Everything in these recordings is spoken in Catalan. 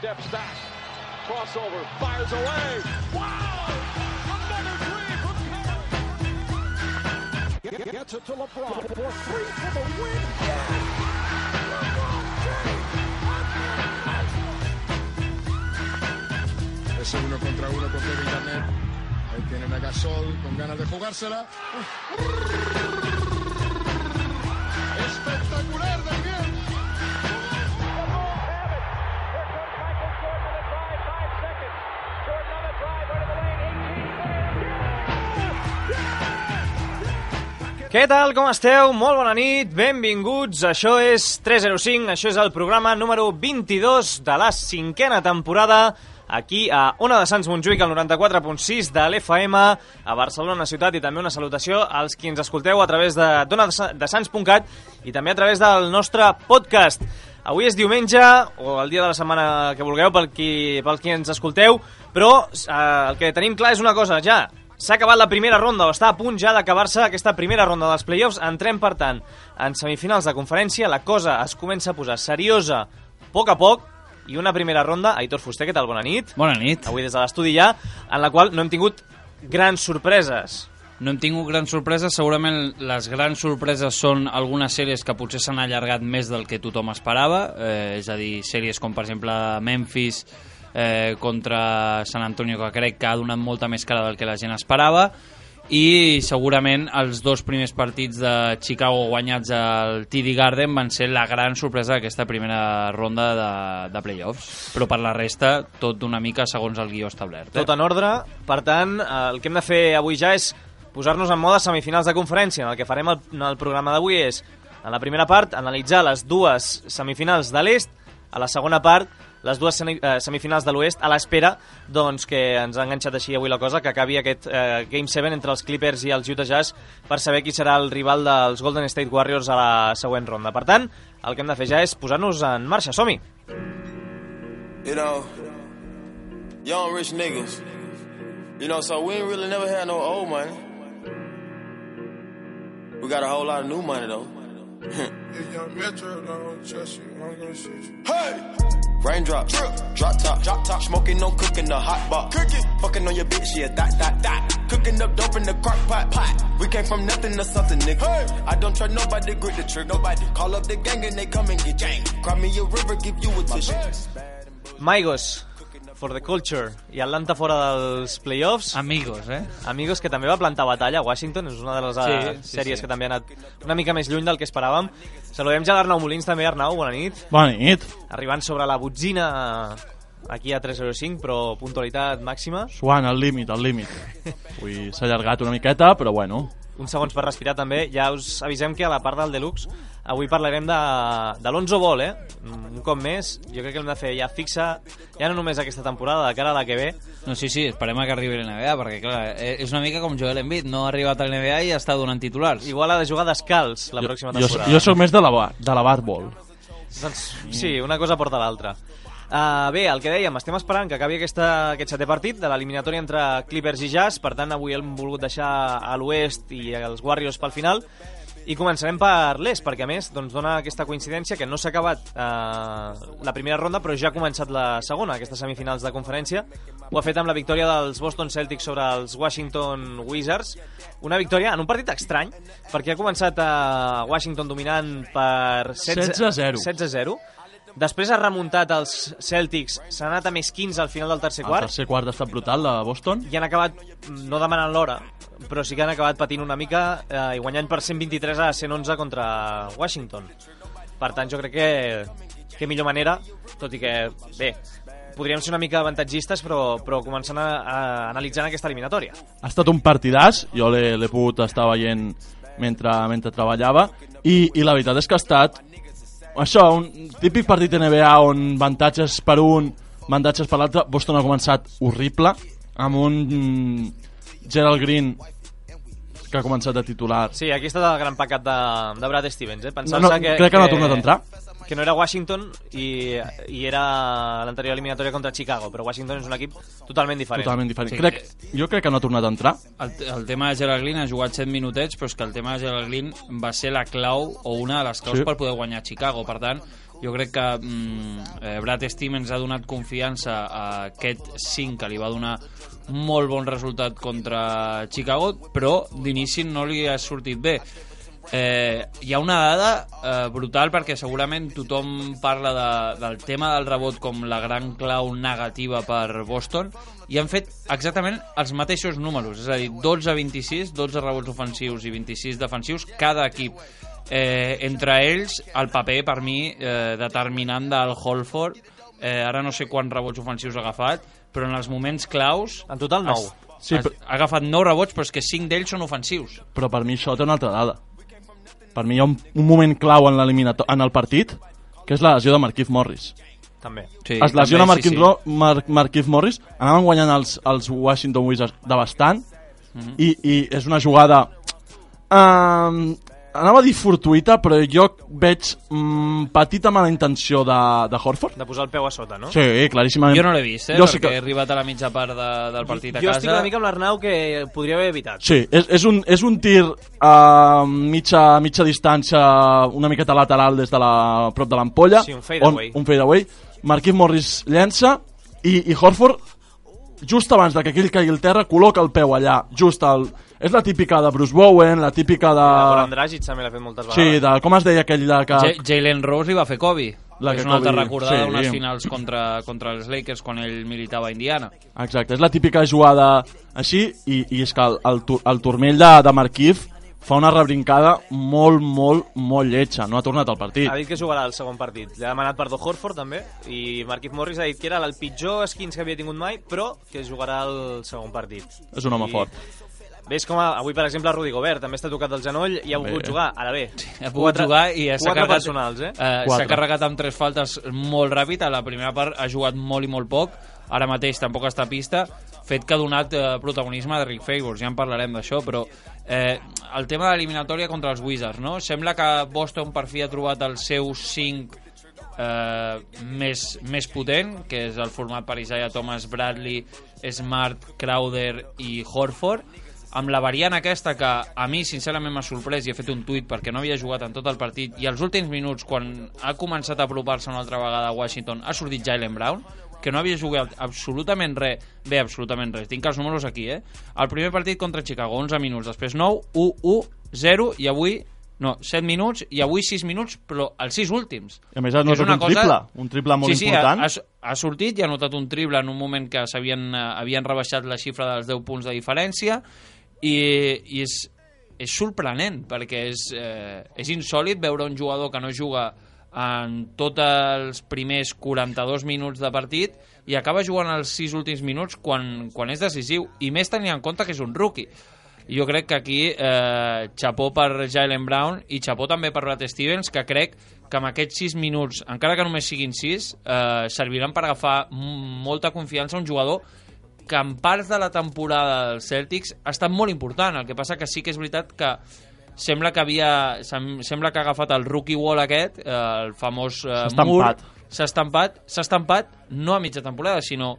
steps back. Crossover, fires away. Wow! Another three from Curry. Gets it to LeBron for three for the win. Yes! Ese 1 contra 1 con Kevin Garnett. Ahí tienen a Gasol con ganas de jugársela. Espectacular de bien. Què tal, com esteu? Molt bona nit, benvinguts. Això és 305, això és el programa número 22 de la 5a temporada, aquí a Ona de Sants Montjuïc, al 94.6 de l'FM, a Barcelona ciutat, i també una salutació als qui ens escolteu a través d'onadesants.cat i també a través del nostre podcast. Avui és diumenge, o el dia de la setmana que vulgueu, pel qui ens escolteu, però el que tenim clar és una cosa, ja s'ha acabat la primera ronda, o està a punt ja d'acabar-se aquesta primera ronda dels play-offs. Entrem, per tant, en semifinals de conferència. La cosa es comença a posar seriosa a poc, i una primera ronda. Aitor Fuster, què tal? Bona nit. Bona nit. Avui des de l'estudi ja, en la qual no hem tingut grans sorpreses. No hem tingut grans sorpreses. Segurament les grans sorpreses són algunes sèries que potser s'han allargat més del que tothom esperava, és a dir, sèries com, per exemple, Memphis contra San Antonio, que crec que ha donat molta més cara del que la gent esperava, i segurament els dos primers partits de Chicago guanyats al TD Garden van ser la gran sorpresa d'aquesta primera ronda de playoffs, però per la resta tot una mica segons el guió establert. Tot en ordre. Per tant, el que hem de fer avui ja és posar-nos en mode semifinals de conferència. El que farem en el programa d'avui és, en la primera part, analitzar les dues semifinals de l'est, a la segona part les dues semifinals de l'oest, a l'espera doncs, que ens ha enganxat així avui la cosa, que acabi aquest Game 7 entre els Clippers i els Utah Jazz per saber qui serà el rival dels Golden State Warriors a la següent ronda. Per tant, el que hem de fer ja és posar-nos en marxa. Som-hi! You know, young rich niggas, you know, so we ain't really never had no old money. We got a whole lot of new money, though. Hey! Raindrops, drop top, smoking, no cooking, the hot box. Fucking on your bitch, yeah, that. Cooking up dope in the crock pot. We came from nothing to something, nigga. Hey. I don't trust nobody, grip the trick, nobody. Call up the gang and they come and get gang. Cry me a river, give you a tissue. Migos, for the culture, i Atlanta fora dels playoffs. Amigos, que també va plantar batalla a Washington, és una de les sèries que també ha anat una mica més lluny del que esperàvem. Saludem ja l'Arnau Molins també. Arnau, bona nit. Bona nit. Arribant sobre la botzina aquí a 305, però puntualitat màxima. Suant al límit. Avui s'ha allargat una miqueta, però bueno. Uns segons per respirar també. Ja us avisem que a la part del Deluxe avui parlarem de l'Onzo Ball, un cop més. Jo crec que l'hem de fer ja fixa, ja no només aquesta temporada, de cara a la que ve. No, sí, esperem que arribi a l'NBA, perquè clar, és una mica com Joel Embiid, no ha arribat a l'NBA i està donant titulars. Igual ha de jugar descalç la pròxima temporada. Jo soc més de la barball. Doncs sí, una cosa porta l'altra. Bé, el que dèiem, estem esperant que acabi aquest setè partit de l'eliminatòria entre Clippers i Jazz. Per tant, avui hem volgut deixar a l'oest i els Warriors pel final, i començarem per l'est, perquè a més doncs, dona aquesta coincidència que no s'ha acabat la primera ronda, però ja ha començat la segona, aquestes semifinals de conferència. Ho ha fet amb la victòria dels Boston Celtics sobre els Washington Wizards, una victòria en un partit estrany, perquè ha començat Washington dominant per 16-0. Després ha remuntat els Celtics, s'ha anat a més 15 al final del tercer quart. El tercer quart ha estat brutal, de Boston. I han acabat, no demanant l'hora, però sí que han acabat patint una mica i guanyant per 123-111 contra Washington. Per tant, jo crec que millor manera, tot i que, bé, podríem ser una mica avantatgistes, però començant a analitzar aquesta eliminatòria. Ha estat un partidàs, jo l'he pogut estar veient mentre treballava, i la veritat és que ha estat això, un típic partit NBA on avantatges per un, avantatges per l'altre. Boston ha començat horrible, amb un Gerald Green que ha començat a titular. Sí, aquí està el gran pecat de Brad Stevens, crec que no ha tornat a entrar. Que no era Washington i era l'anterior eliminatòria contra Chicago, però Washington és un equip totalment diferent. Sí. Jo crec que no ha tornat a entrar. El tema de Gerald Green ha jugat 7 minutets, però és que el tema de Gerald Green va ser la clau, o una de les claus per poder guanyar Chicago. Per tant, Jo crec que Brad Stevens ha donat confiança a aquest 5 que li va donar molt bon resultat contra Chicago, però d'inici no li ha sortit bé. Hi ha una dada brutal, perquè segurament tothom parla del tema del rebot com la gran clau negativa per Boston, i han fet exactament els mateixos números, és a dir, 12-26, 12 rebots ofensius i 26 defensius cada equip. Entre ells el paper per mi determinant del Horford, ara no sé quants rebots ofensius ha agafat, però en els moments claus en total 9 ha agafat 9 rebots, però és que 5 d'ells són ofensius. Però per mi això té una altra dada. Per mi hi ha un moment clau en el partit, que és la lesió de Markieff Morris. També. Sí, es lesiona també, Markieff Morris, anaven guanyant els Washington Wizards de bastant, i és una jugada anava a dir fortuïta, però jo veig petita mala intenció de Horford. De posar el peu a sota, no? Sí, claríssimament. jo no l'he vist, perquè he arribat a la mitja part del partit a casa. Jo estic una mica amb l'Arnau, que podria haver evitat. Sí, és un tir a mitja distància, una miqueta lateral des de prop de l'ampolla. Sí, un fadeaway. Un fadeaway. Markieff Morris llença i Horford, just abans que aquell caigui al terra, col·loca el peu allà, just al... És la típica de Bruce Bowen, la típica de... Goran Dragic també l'ha fet moltes vegades. Sí, com es deia aquell de que... Jalen Rose li va fer Kobe. És una altra recordada d'unes sí. finals contra els Lakers quan ell militava a Indiana. Exacte, és la típica jugada així, i és que el turmell de Markieff fa una rebrincada molt lletja, no ha tornat al partit. Ha dit que jugarà el segon partit. Li ha demanat perdó Horford també, i Markieff Morris ha dit que era el pitjor skins que havia tingut mai, però que jugarà el segon partit. És un home fort. Ves com avui, per exemple, Rudy Gobert també està tocat el genoll i ha volgut jugar. Ara bé, ha pogut jugar i s'ha carregat, personals, s'ha carregat amb 3 faltes molt ràpid. A la primera part ha jugat molt i molt poc, ara mateix tampoc està a pista, fet que ha donat protagonisme a Rick Favors, ja en parlarem d'això, però el tema de l'eliminatòria contra els Wizards, no? Sembla que Boston per fi ha trobat el seu 5 més potent, que és el format per Isaiah Thomas, Bradley, Smart, Crowder i Horford, amb la variant aquesta que a mi sincerament m'ha sorprès, i he fet un tuit perquè no havia jugat en tot el partit, i als últims minuts, quan ha començat a apropar-se una altra vegada a Washington, ha sortit Jaylen Brown, que no havia jugat absolutament res. Bé, absolutament res, tinc els números aquí, El primer partit contra Chicago, 11 minuts, després 9, 1, 1, 0, i avui 7 minuts, i avui 6 minuts, però els 6 últims. I a més ha notat un triple molt important. Ha sortit i ha notat un triple en un moment que havien rebaixat la xifra dels 10 punts de diferència, i és sorprenent, perquè és insòlid veure un jugador que no juga en tots els primers 42 minuts de partit i acaba jugant els 6 últims minuts quan és decisiu, i més tenint en compte que és un rookie. Jo crec que aquí xapó per Jaylen Brown i xapó també per Brad Stevens, que crec que amb aquests 6 minuts, encara que només siguin 6, serviran per agafar molta confiança a un jugador que en parts de la temporada dels Celtics ha estat molt important. El que passa que sí que és veritat que sembla que ha agafat el rookie wall aquest, el famós mur, s'ha estampat no a mitja temporada, sinó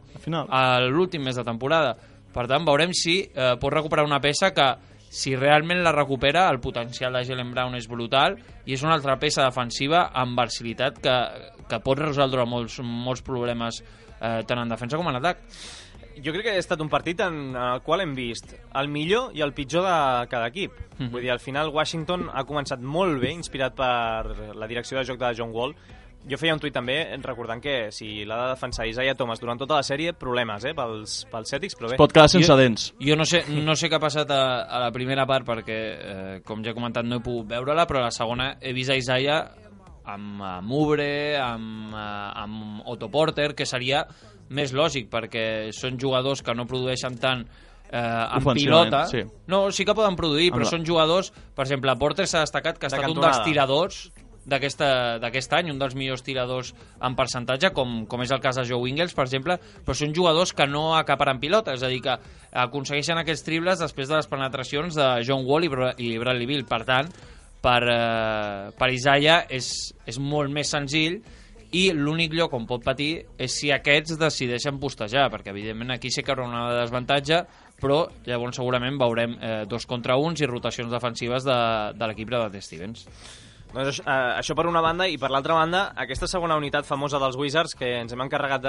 a l'últim mes de temporada. Per tant, veurem si pot recuperar una peça que, si realment la recupera, el potencial de Jaylen Brown és brutal, i és una altra peça defensiva amb versatilitat que pot resoldre molts problemes tant en defensa com en atac. Jo crec que ha estat un partit en el qual hem vist el millor i el pitjor de cada equip. Vull dir, al final Washington ha començat molt bé, inspirat per la direcció de joc de John Wall. Jo feia un tuit també recordant que si l'ha de defensar Isaiah Thomas durant tota la sèrie, problemes pels Celtics, però bé. Es pot quedar sense dents. Jo no sé què ha passat a la primera part, perquè, com ja he comentat, no he pogut veure-la, però a la segona he vist a Isaiah amb Oubre, amb Otto Porter, que seria més lògic, perquè són jugadors que no produeixen tant en pilota. Sí. No, sí que poden produir, però són jugadors... Per exemple, Porter s'ha destacat que ha estat un dels tiradors d'aquest any, un dels millors tiradors en percentatge, com és el cas de Joe Ingles, per exemple, però són jugadors que no acaparen pilota, és a dir, que aconsegueixen aquests triples després de les penetracions de John Wall i Bradley Beal. Per tant, per Isaiah és molt més senzill, i l'únic lloc on pot patir és si aquests decideixen postejar, perquè evidentment aquí sí que hi haurà una desavantatge, però llavors segurament veurem 2 contra 1 i rotacions defensives de l'equip de Brad Stevens. Doncs això per una banda, i per l'altra banda, aquesta segona unitat famosa dels Wizards que ens hem encarregat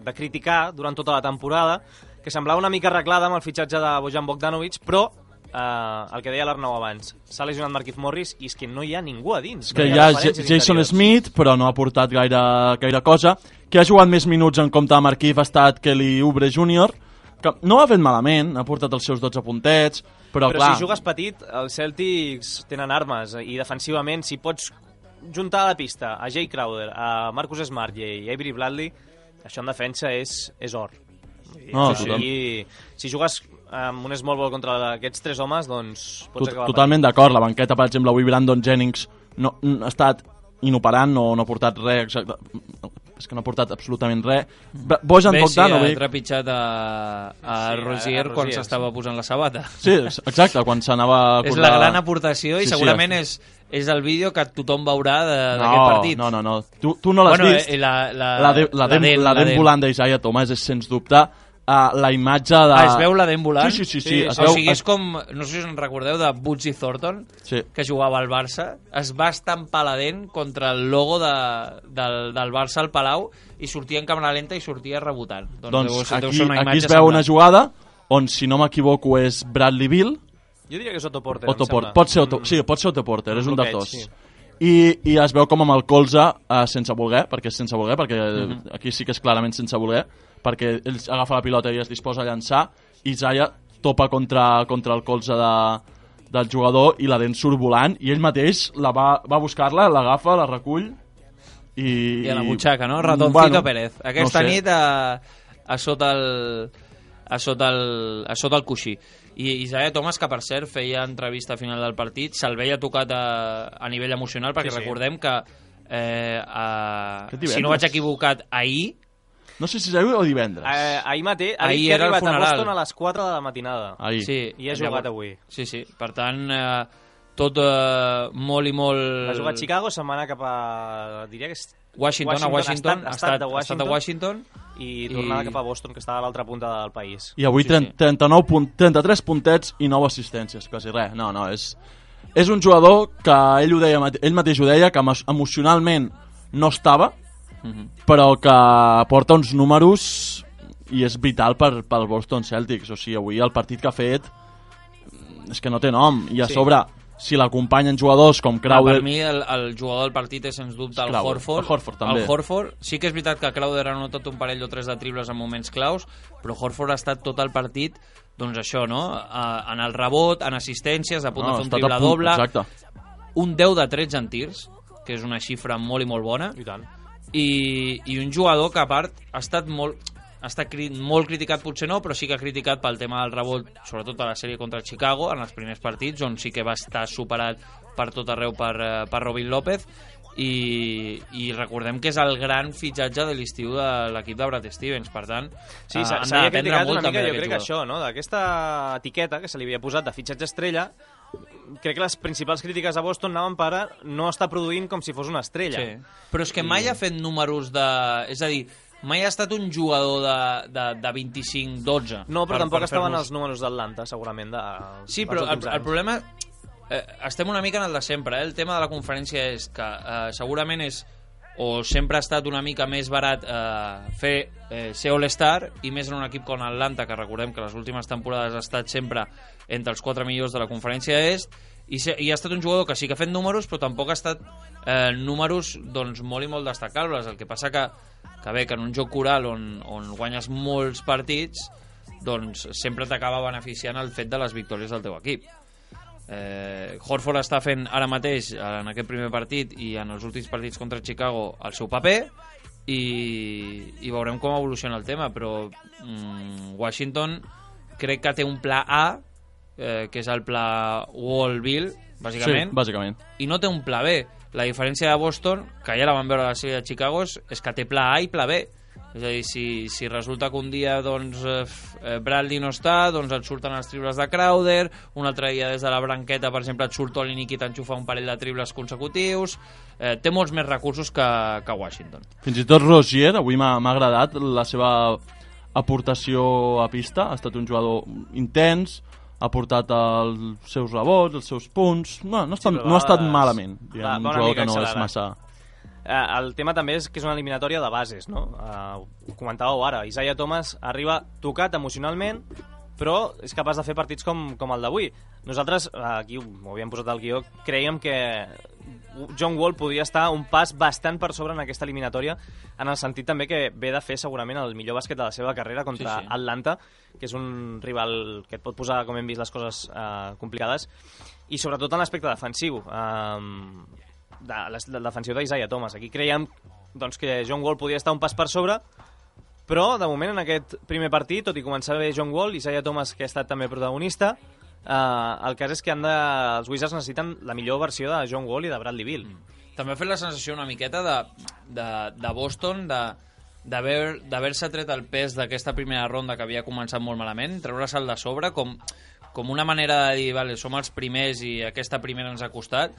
de criticar durant tota la temporada, que semblava una mica arreglada amb el fitxatge de Bojan Bogdanovic, però el que deia l'Arnau abans, s'ha lesionat Markieff Morris i és que no hi ha ningú a dins. És que hi ha Jason Smith, però no ha portat gaire cosa. Qui ha jugat més minuts en compte de Markieff ha estat Kelly Oubre Jr., que no ho ha fet malament, ha portat els seus 12 puntets, però clar... si jugues petit, els Celtics tenen armes i defensivament, si pots juntar a la pista a Jay Crowder, a Marcus Smart i a Avery Bradley, això en defensa és or. No, si jugues amb un small ball contra aquests tres homes, doncs pots acabar... Totalment d'acord, la banqueta, per exemple, avui Brandon Jennings no ha estat inoperant, no ha portat res, exacte. És que no ha portat absolutament res. Bojan Bogdanovic... ha trepitjat a Rozier quan s'estava posant la sabata. Sí, exacte, quan s'anava a posar... És la gran aportació i segurament és el vídeo que tothom veurà d'aquest partit. No. Tu no l'has vist? La dent volant d'Isaiah Thomas és, sens dubte, la imatge de... Es veu la dent volant? Sí. O sigui, és com, no sé si us en recordeu, de Bootsy Thornton, que jugava al Barça. Es va estampar la dent contra el logo del Barça al Palau i sortia en càmera lenta i sortia rebotant. Doncs aquí es veu una jugada on, si no m'equivoco, és Bradley Beal. Jo diria que és Otto Porter, pot ser Otto Porter, és un dels dos. I es veu com amb el colze sense voler, perquè aquí sí que és clarament sense voler, perquè ell agafa la pilota i es disposa a llançar, i Isaiah topa contra el colze del jugador i la dent surt volant, i ell mateix va buscar-la, l'agafa, la recull i a la butxaca, no? Ratoncito Pérez. Aquesta nit a sota el coixí. I Isaiah Thomas, que per cert feia entrevista a final del partit, se'l veia tocat a nivell emocional, perquè recordem que si no vaig equivocat, ahir, no sé si és ahir o divendres. Ahir era el funeral. A Boston a les 4 de la matinada. Sí, i ha jugat avui. Sí. Per tant, tot molt i molt... Ha jugat a Chicago, se'n va anar cap a... diria que és... Washington. Ha estat a Washington. I tornava cap a Boston, que estava a l'altra punta del país. I avui 33 puntets i 9 assistències, quasi res. No, és un jugador que ell mateix ho deia, que emocionalment no estava, però que porta uns números i és vital pel Boston Celtics. O sigui, avui el partit que ha fet és que no té nom, i a sobre, si l'acompanyen jugadors com Crowder... Per mi el jugador del partit és sens dubte el Horford. El Horford també. El Horford, sí que és veritat que Crowder ha notat un parell o tres de triples en moments claus, però Horford ha estat tot el partit, doncs això, no? En el rebot, en assistències, a punt de fer un triple doble, un 10 de 13 en tirs, que és una xifra molt i molt bona, i un jugador que a part ha estat molt criticat, potser no, però sí que ha criticat pel tema del rebot, sobretot a la sèrie contra Chicago, en els primers partits, on sí que va estar superat per tot arreu per Robin López, i recordem que és el gran fitxatge de l'estiu de l'equip de Brad Stevens. Per tant, s'ha criticat una mica, jo crec que això, no? D'aquesta etiqueta que se li havia posat de fitxatge estrella, crec que les principals crítiques a Boston anaven per no estar produint com si fos una estrella. Però és que mai ha fet números de... És a dir, mai ha estat un jugador de 25-12. No, però tampoc estaven els números d'Atlanta, segurament. Sí, però el problema... estem una mica en el de sempre. El tema de la conferència és que segurament és... o sempre ha estat una mica més barat ser All-Star, i més en un equip com Atlanta, que recordem que les últimes temporades ha estat sempre entre els 4 millors de la conferència est, i ha estat un jugador que sí que ha fet números, però tampoc ha estat números doncs, molt i molt destacables. El que passa que bé, que en un joc coral on guanyes molts partits, doncs sempre t'acaba beneficiant el fet de les victòries del teu equip. Horford està fent ara mateix, en aquest primer partit i en els últims partits contra Chicago, el seu paper, i veurem com evoluciona el tema. Però Washington crec que té un pla A, que és el pla Wall-Bill, bàsicament. Sí, bàsicament. I no té un pla B. La diferència de Boston, que ja la vam veure a la sèrie de Chicago, és que té pla A i pla B. És a dir, si resulta que un dia doncs, Bradley no està, doncs et surten els triples de Crowder, un altre dia des de la branqueta, per exemple, et surt Olynyk i t'enxufa un parell de triples consecutius. Té molts més recursos que Washington. Fins i tot Rozier, avui m'ha agradat la seva aportació a pista. Ha estat un jugador intens, ha portat els seus rebots, els seus punts, no ha estat malament, diguem, un jugador que no és massa... El tema també és que és una eliminatòria de bases, no? Ho comentàveu ara, Isaiah Thomas arriba tocat emocionalment, però és capaç de fer partits com el d'avui. Nosaltres, aquí ho havíem posat al guió, creiem que John Wall podria estar un pas bastant per sobre en aquesta eliminatòria, en el sentit també que ve de fer segurament el millor bàsquet de la seva carrera contra Atlanta, que és un rival que et pot posar, com hem vist, les coses complicades, i sobretot en l'aspecte defensiu. De defensiu d'Isaiah Thomas. Aquí creiem doncs, que John Wall podria estar un pas per sobre, però de moment en aquest primer partit, tot i començar bé John Wall, Isaiah Thomas, que ha estat també protagonista, el cas és que els Wizards necessiten la millor versió de John Wall i de Bradley Beal. També ha fet la sensació una miqueta de Boston, d'haver-se tret el pes d'aquesta primera ronda que havia començat molt malament, treure-se'l de sobre com una manera de dir, vale, som els primers i aquesta primera ens ha costat,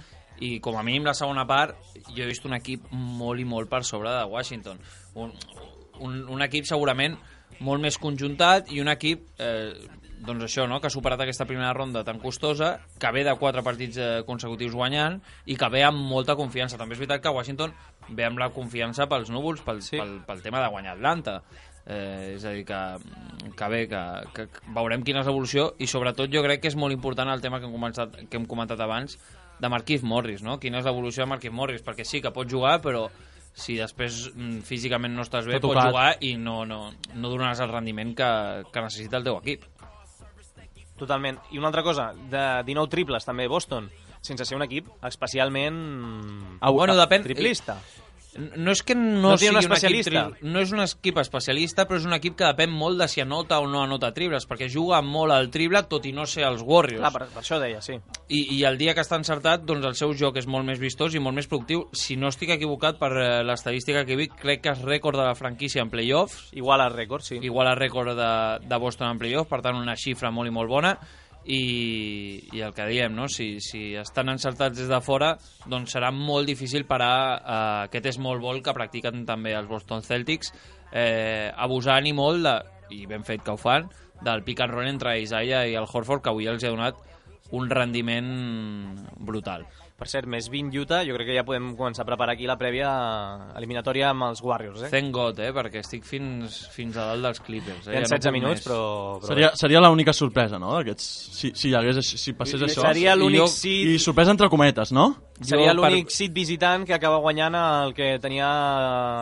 i com a mínim la segona part jo he vist un equip molt i molt per sobre de Washington, un equip segurament molt més conjuntat i un equip doncs això, no? Que ha superat aquesta primera ronda tan costosa, que ve de 4 partits consecutius guanyant i que ve amb molta confiança. També és veritat que Washington ve amb la confiança pels núvols, pel tema de guanyar Atlanta. És a dir, que bé, que veurem quina és l'evolució, i sobretot jo crec que és molt important el tema que hem comentat abans de Markieff Morris, no? Quina és l'evolució de Markieff Morris, perquè sí que pot jugar, però si després físicament no estàs bé, pots jugar i no donaràs el rendiment que necessita el teu equip. Totalment. I una altra cosa, de 19 triples també Boston, sense ser un equip especialment triplista. No és que no sigui un equip no és un equip especialista, però és un equip que depèn molt de si anota o no anota triples, perquè juga molt al triple, tot i no ser els Warriors. Clar, per això deia, sí. I el dia que està encertat, doncs el seu joc és molt més vistós i molt més productiu. Si no estic equivocat per l'estadística que he vist, crec que és rècord de la franquícia en playoffs. Igual al rècord, sí. Igual al rècord de Boston en playoffs, per tant una xifra molt i molt bona. I el que diem, no? Si estan encertats des de fora, doncs serà molt difícil parar aquest small ball que practiquen també els Boston Celtics, abusant i molt i ben fet que ho fan, del pick and roll entre Isaiah i el Horford, que avui els ha donat un rendiment brutal. Per cert, més 20 Utah, jo crec que ja podem començar a preparar aquí la prèvia eliminatòria amb els Warriors. Thank God, perquè estic fins a dalt dels Clippers. Hi ha 16 minuts, però... Seria l'única sorpresa, no? Si passés això. Seria l'únic seed... I sorpresa entre cometes, no? Seria l'únic seed visitant que acaba guanyant el que tenia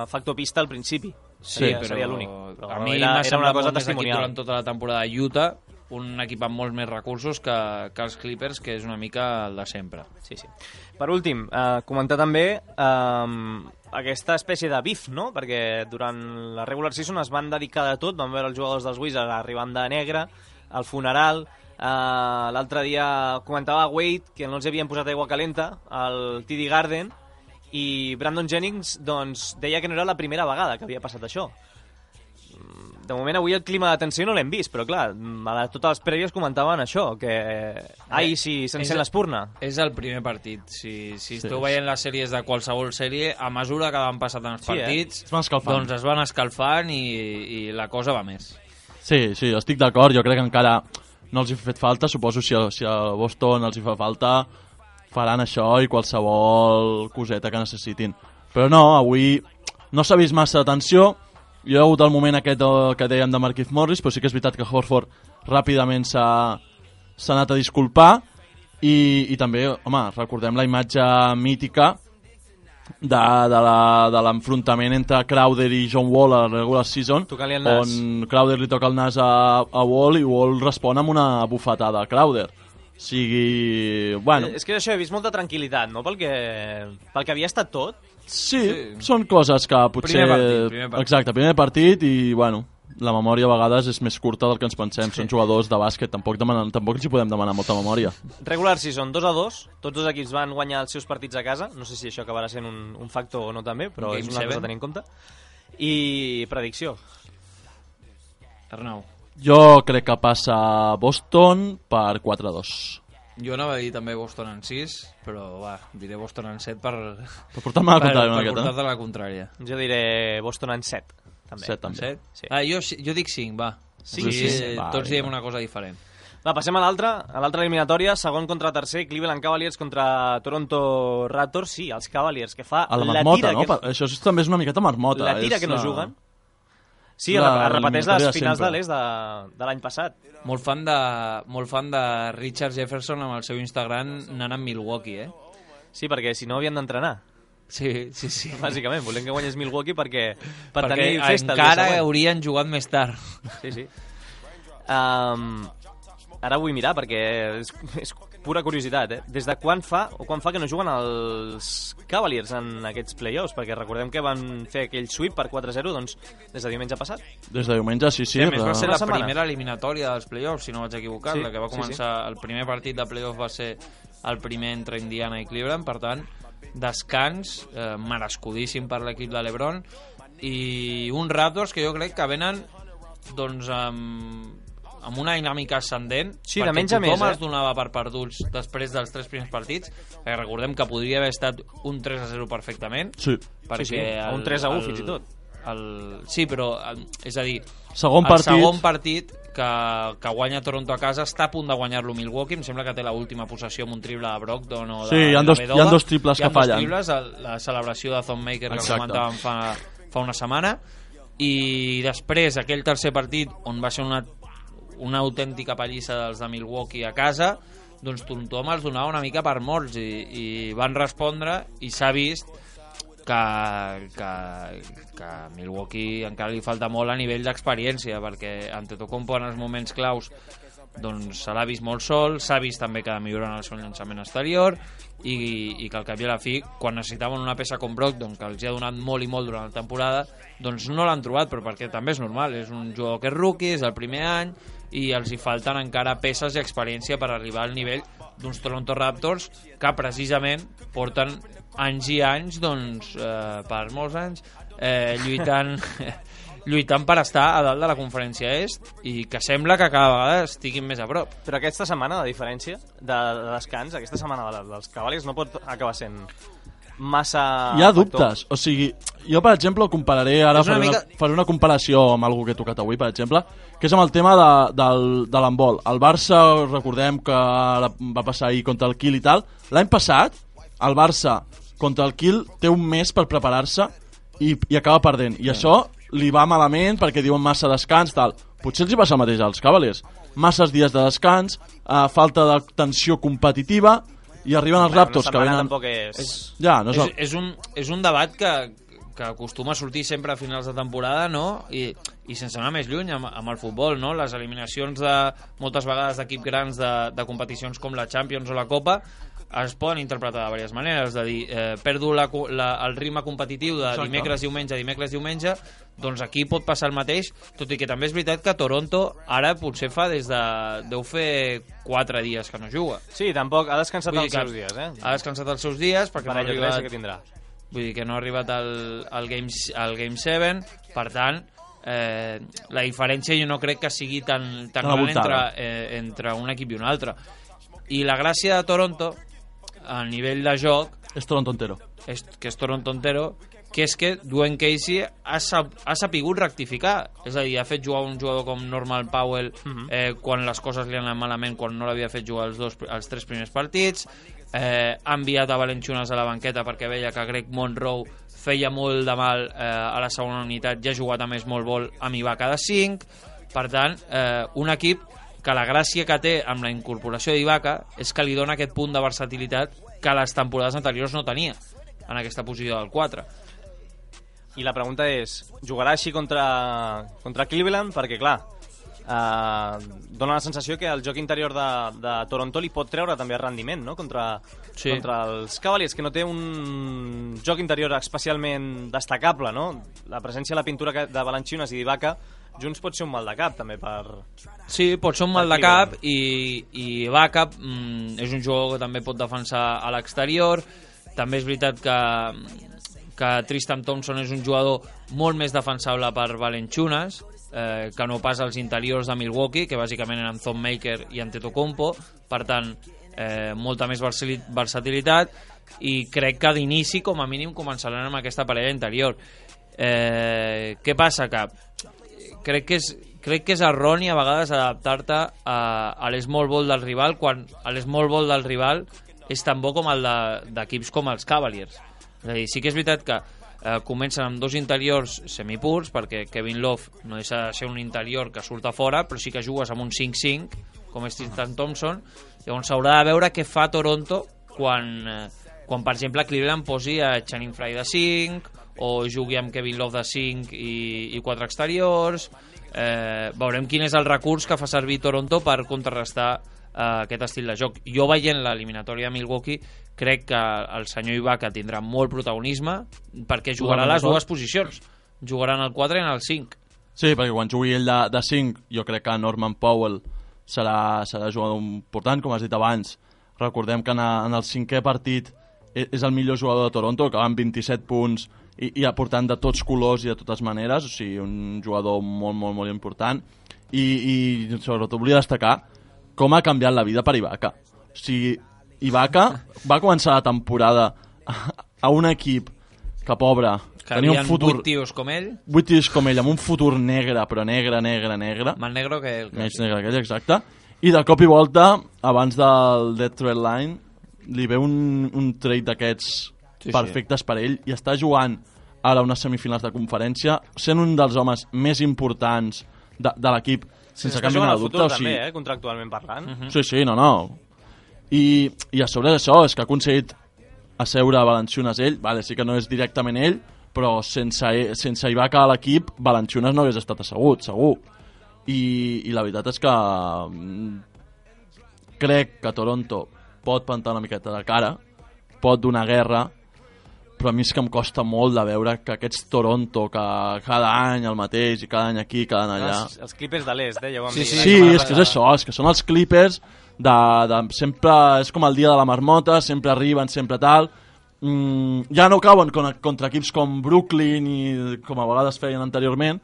factor pista al principi. Seria l'únic. A mi m'ha semblat molt més equip durant tota la temporada de Utah, un equip amb molts més recursos que els Clippers, que és una mica el de sempre. Sí. Per últim, comentar també aquesta espècie de bif, no? Perquè durant la regular season es van dedicar de tot, van veure els jugadors dels Wizards arribant de negre, al funeral. L'altre dia comentava Wade que no els havien posat aigua calenta al TD Garden, i Brandon Jennings doncs, deia que no era la primera vegada que havia passat això. De moment avui el clima de tensió no l'hem vist, però clar, a totes les prèvies comentaven això, que si s'encén l'espurna. És el primer partit. Si esteu veient les sèries de qualsevol sèrie, a mesura que van passant els partits, doncs es van escalfant i la cosa va més. Sí, estic d'acord, jo crec que encara no els hi ha fet falta, suposo si a Boston els hi fa falta, faran això i qualsevol coseta que necessitin. Però no, avui no s'ha vist massa tensió. Hi ha hagut el moment aquest que dèiem de Markieff Morris, però sí que és veritat que Horford ràpidament s'ha anat a disculpar, i també, home, recordem la imatge mítica de l'enfrontament entre Crowder i John Wall a la regular season, on Crowder li toca el nas a Wall i Wall respon amb una bufetada a Crowder. És que això, he vist molta tranquil·litat, no? Pel que havia estat tot. Sí, són coses que potser... Primer partit. Exacte, primer partit, i la memòria a vegades és més curta del que ens pensem. Són jugadors de bàsquet, tampoc ens hi podem demanar molta memòria. Regular season 2-2, tots dos equips van guanyar els seus partits a casa. No sé si això acabarà sent un factor o no també, però és una cosa a tenir en compte. I predicció. Arnau. Jo crec que passa Boston per 4-2. Jo anava a dir també Boston en 6, però diré Boston en 7 per portar-me la contrària. Jo diré Boston en 7. També. 7 també. 7? Sí. Jo dic 5, va. Sí, tots diem una cosa diferent. Va, passem a l'altra eliminatòria, segon contra tercer, Cleveland Cavaliers contra Toronto Raptors. Sí, els Cavaliers, que fa A la la marmota, tira... no? Això també és una miqueta marmota. La tira que no juguen. Sí, es repeteix les finals de l'est de l'any passat. Molt fan de Richard Jefferson amb el seu Instagram anant a Milwaukee, Sí, perquè si no havien d'entrenar. Sí. Bàsicament, volem que guanyés Milwaukee per tenir Perquè festa. encara haurien jugat més tard. Sí. Ara vull mirar perquè és pura curiositat, Des de quan fa que no juguen els Cavaliers en aquests play-offs? Perquè recordem que van fer aquell sweep per 4-0, doncs des de diumenge passat. Des de diumenge, sí. A més, va ser la setmana. primera eliminatòria dels play-offs, si no vaig equivocar, Sí, la que va començar... El primer partit de play-off va ser el primer entre Indiana i Cleveland, per tant, descans merescudíssim per l'equip de LeBron, i uns Raptors que jo crec que venen doncs amb una dinàmica ascendent, Sí, de perquè menys a més, tothom els donava per perduts després dels 3 primers partits, recordem que podria haver estat un 3-0 perfectament, Sí. Sí, o un 3-1 fins i tot. Sí, però és a dir, Segon el segon partit que guanya Toronto a casa està a punt de guanyar-lo Milwaukee, em sembla que té l'última possessió amb un triple de Brogdon o de Sí, hi ha dos triples que fallen. Hi ha dos triples, la celebració de Thon Maker que comentàvem fa una setmana, i després aquell tercer partit on va ser una autèntica pallissa dels de Milwaukee a casa, doncs tothom els donava una mica per morts i van respondre, i s'ha vist que a Milwaukee encara li falta molt a nivell d'experiència, perquè Antetokounmpo en els moments claus doncs se l'ha vist molt sol, s'ha vist també que ha de millorar en el seu llançament exterior, i que al cap i a la fi, quan necessitaven una peça com Brogdon, que els ha donat molt i molt durant la temporada, doncs no l'han trobat, però perquè també és normal, és un jugador que és rookie, és el primer any, i els hi falten encara peces i experiència per arribar al nivell d'uns Toronto Raptors que precisament porten anys i anys, doncs, per molts anys, lluitant per estar a dalt de la conferència est, i que sembla que cada vegada estiguin més a prop. Però aquesta setmana, de diferència de descans, aquesta setmana dels Cavaliers no pot acabar sent massa... Hi ha dubtes, o sigui, jo per exemple ho compararé, ara faré una comparació amb algú que he tocat avui, per exemple, que és amb el tema de l'handbol. El Barça, recordem que va passar ahir contra el Kiel i tal, l'any passat el Barça contra el Kiel té un mes per preparar-se i acaba perdent, i això li va malament perquè diuen massa descans, tal. Potser els hi passa el mateix als Cavaliers, masses dies de descans, falta de tensió competitiva, i arriben els Raptors que venen... És un debat que acostuma a sortir sempre a finals de temporada, no? I sense anar més lluny amb el futbol, no? Les eliminacions moltes vegades d'equips grans de competicions com la Champions o la Copa es poden interpretar de diverses maneres, és a dir, perdo el ritme competitiu de dimecres-diumenge, doncs aquí pot passar el mateix, tot i que també és veritat que Toronto ara potser deu fer 4 dies que no juga. Sí, tampoc, ha descansat els seus dies, Ha descansat els seus dies perquè no ha arribat... que tindrà. Vull dir que no ha arribat al Game 7, per tant, la diferència jo no crec que sigui tan gran entre un equip i un altre. I la gràcia de Toronto a nivell de joc és Toronto entero, que és que Dwayne Casey ha sapigut rectificar, és a dir, ha fet jugar un jugador com Norman Powell quan les coses li han anat malament, quan no l'havia fet jugar els 3 primers partits, ha enviat a Valanciunas a la banqueta perquè veia que Greg Monroe feia molt de mal a la segona unitat, ja ha jugat a més molt vol amb Ibaka de 5, per tant un equip que la gràcia que té amb la incorporació d'Ibaka és que li dona aquest punt de versatilitat que les temporades anteriors no tenia en aquesta posició del 4. I la pregunta és, jugarà així contra Cleveland? Perquè, clar, dona la sensació que el joc interior de Toronto li pot treure també rendiment, no? Contra els Cavaliers, que no té un joc interior especialment destacable, no? La presència a la pintura de Valanciunas i d'Ibaka junts pot ser un mal de cap també per... Sí, pot ser un mal de cap, i Ibaka és un jugador que també pot defensar a l'exterior. També és veritat que Tristan Thompson és un jugador molt més defensable per Valanciunas, que no pas als interiors de Milwaukee, que bàsicament eren Thon Maker i Antetokounmpo, per tant molta més versatilitat, i crec que d'inici com a mínim començaran amb aquesta parella interior. Què passa? Que crec que crec que és erroni a vegades adaptar-te a l'small ball del rival quan l'small ball del rival és tan bo com el d'equips com els Cavaliers. És a dir, sí que és veritat que comencen amb dos interiors semipurs, perquè Kevin Love no deixa de ser un interior que surt a fora, però sí que jugues amb un 5-5, com és Tristan Thompson. Llavors s'haurà de veure què fa Toronto quan per exemple, Cleveland posi a Channing Frye de 5, o jugui amb Kevin Love de 5 i 4 exteriors. Veurem quin és el recurs que fa servir Toronto per contrarrestar aquest estil de joc. Jo veient l'eliminatòria de Milwaukee crec que el senyor Ibaka tindrà molt protagonisme perquè jugarà a les dues posicions, jugarà en el 4 i en el 5. Sí, perquè quan jugui ell de 5 jo crec que Norman Powell serà jugador important, com has dit abans. Recordem que en el 5è partit és el millor jugador de Toronto, que va amb 27 punts i aportant de tots colors i de totes maneres, o sigui, un jugador molt, molt, molt important. I sobretot volia destacar com ha canviat la vida per Ibaka. O sigui, Ibaka va començar la temporada a un equip que, pobre, que tenia un futur... 8 tios com ell. 8 tios com ell, amb un futur negre, però negre. Més negre que ell. Més negre que ell, exacte. I de cop i volta, abans del Dead Trade Line, li ve un trade d'aquests perfectes per ell i està jugant ara unes semifinals de conferència, sent un dels homes més importants de l'equip, sense cap mena de dubte. Futur, també, contractualment parlant. Sí, no. I a sobre d'això és que ha aconseguit asseure Valanciunas ell, vale, sí que no és directament ell, però sense Ibaka a l'equip, Valanciunas no hagués estat assegut, segur. I la veritat és que crec que Toronto pot plantar una miqueta de cara, pot donar guerra, però a mi és que em costa molt de veure que aquests Toronto, que cada any el mateix, i cada any aquí, cada any allà... Els Clippers de l'est, ja ho vam dir. Sí, és que és això, és que són els Clippers sempre, és com el dia de la marmota, sempre arriben, sempre tal... ja no cauen contra equips com Brooklyn i com a vegades feien anteriorment,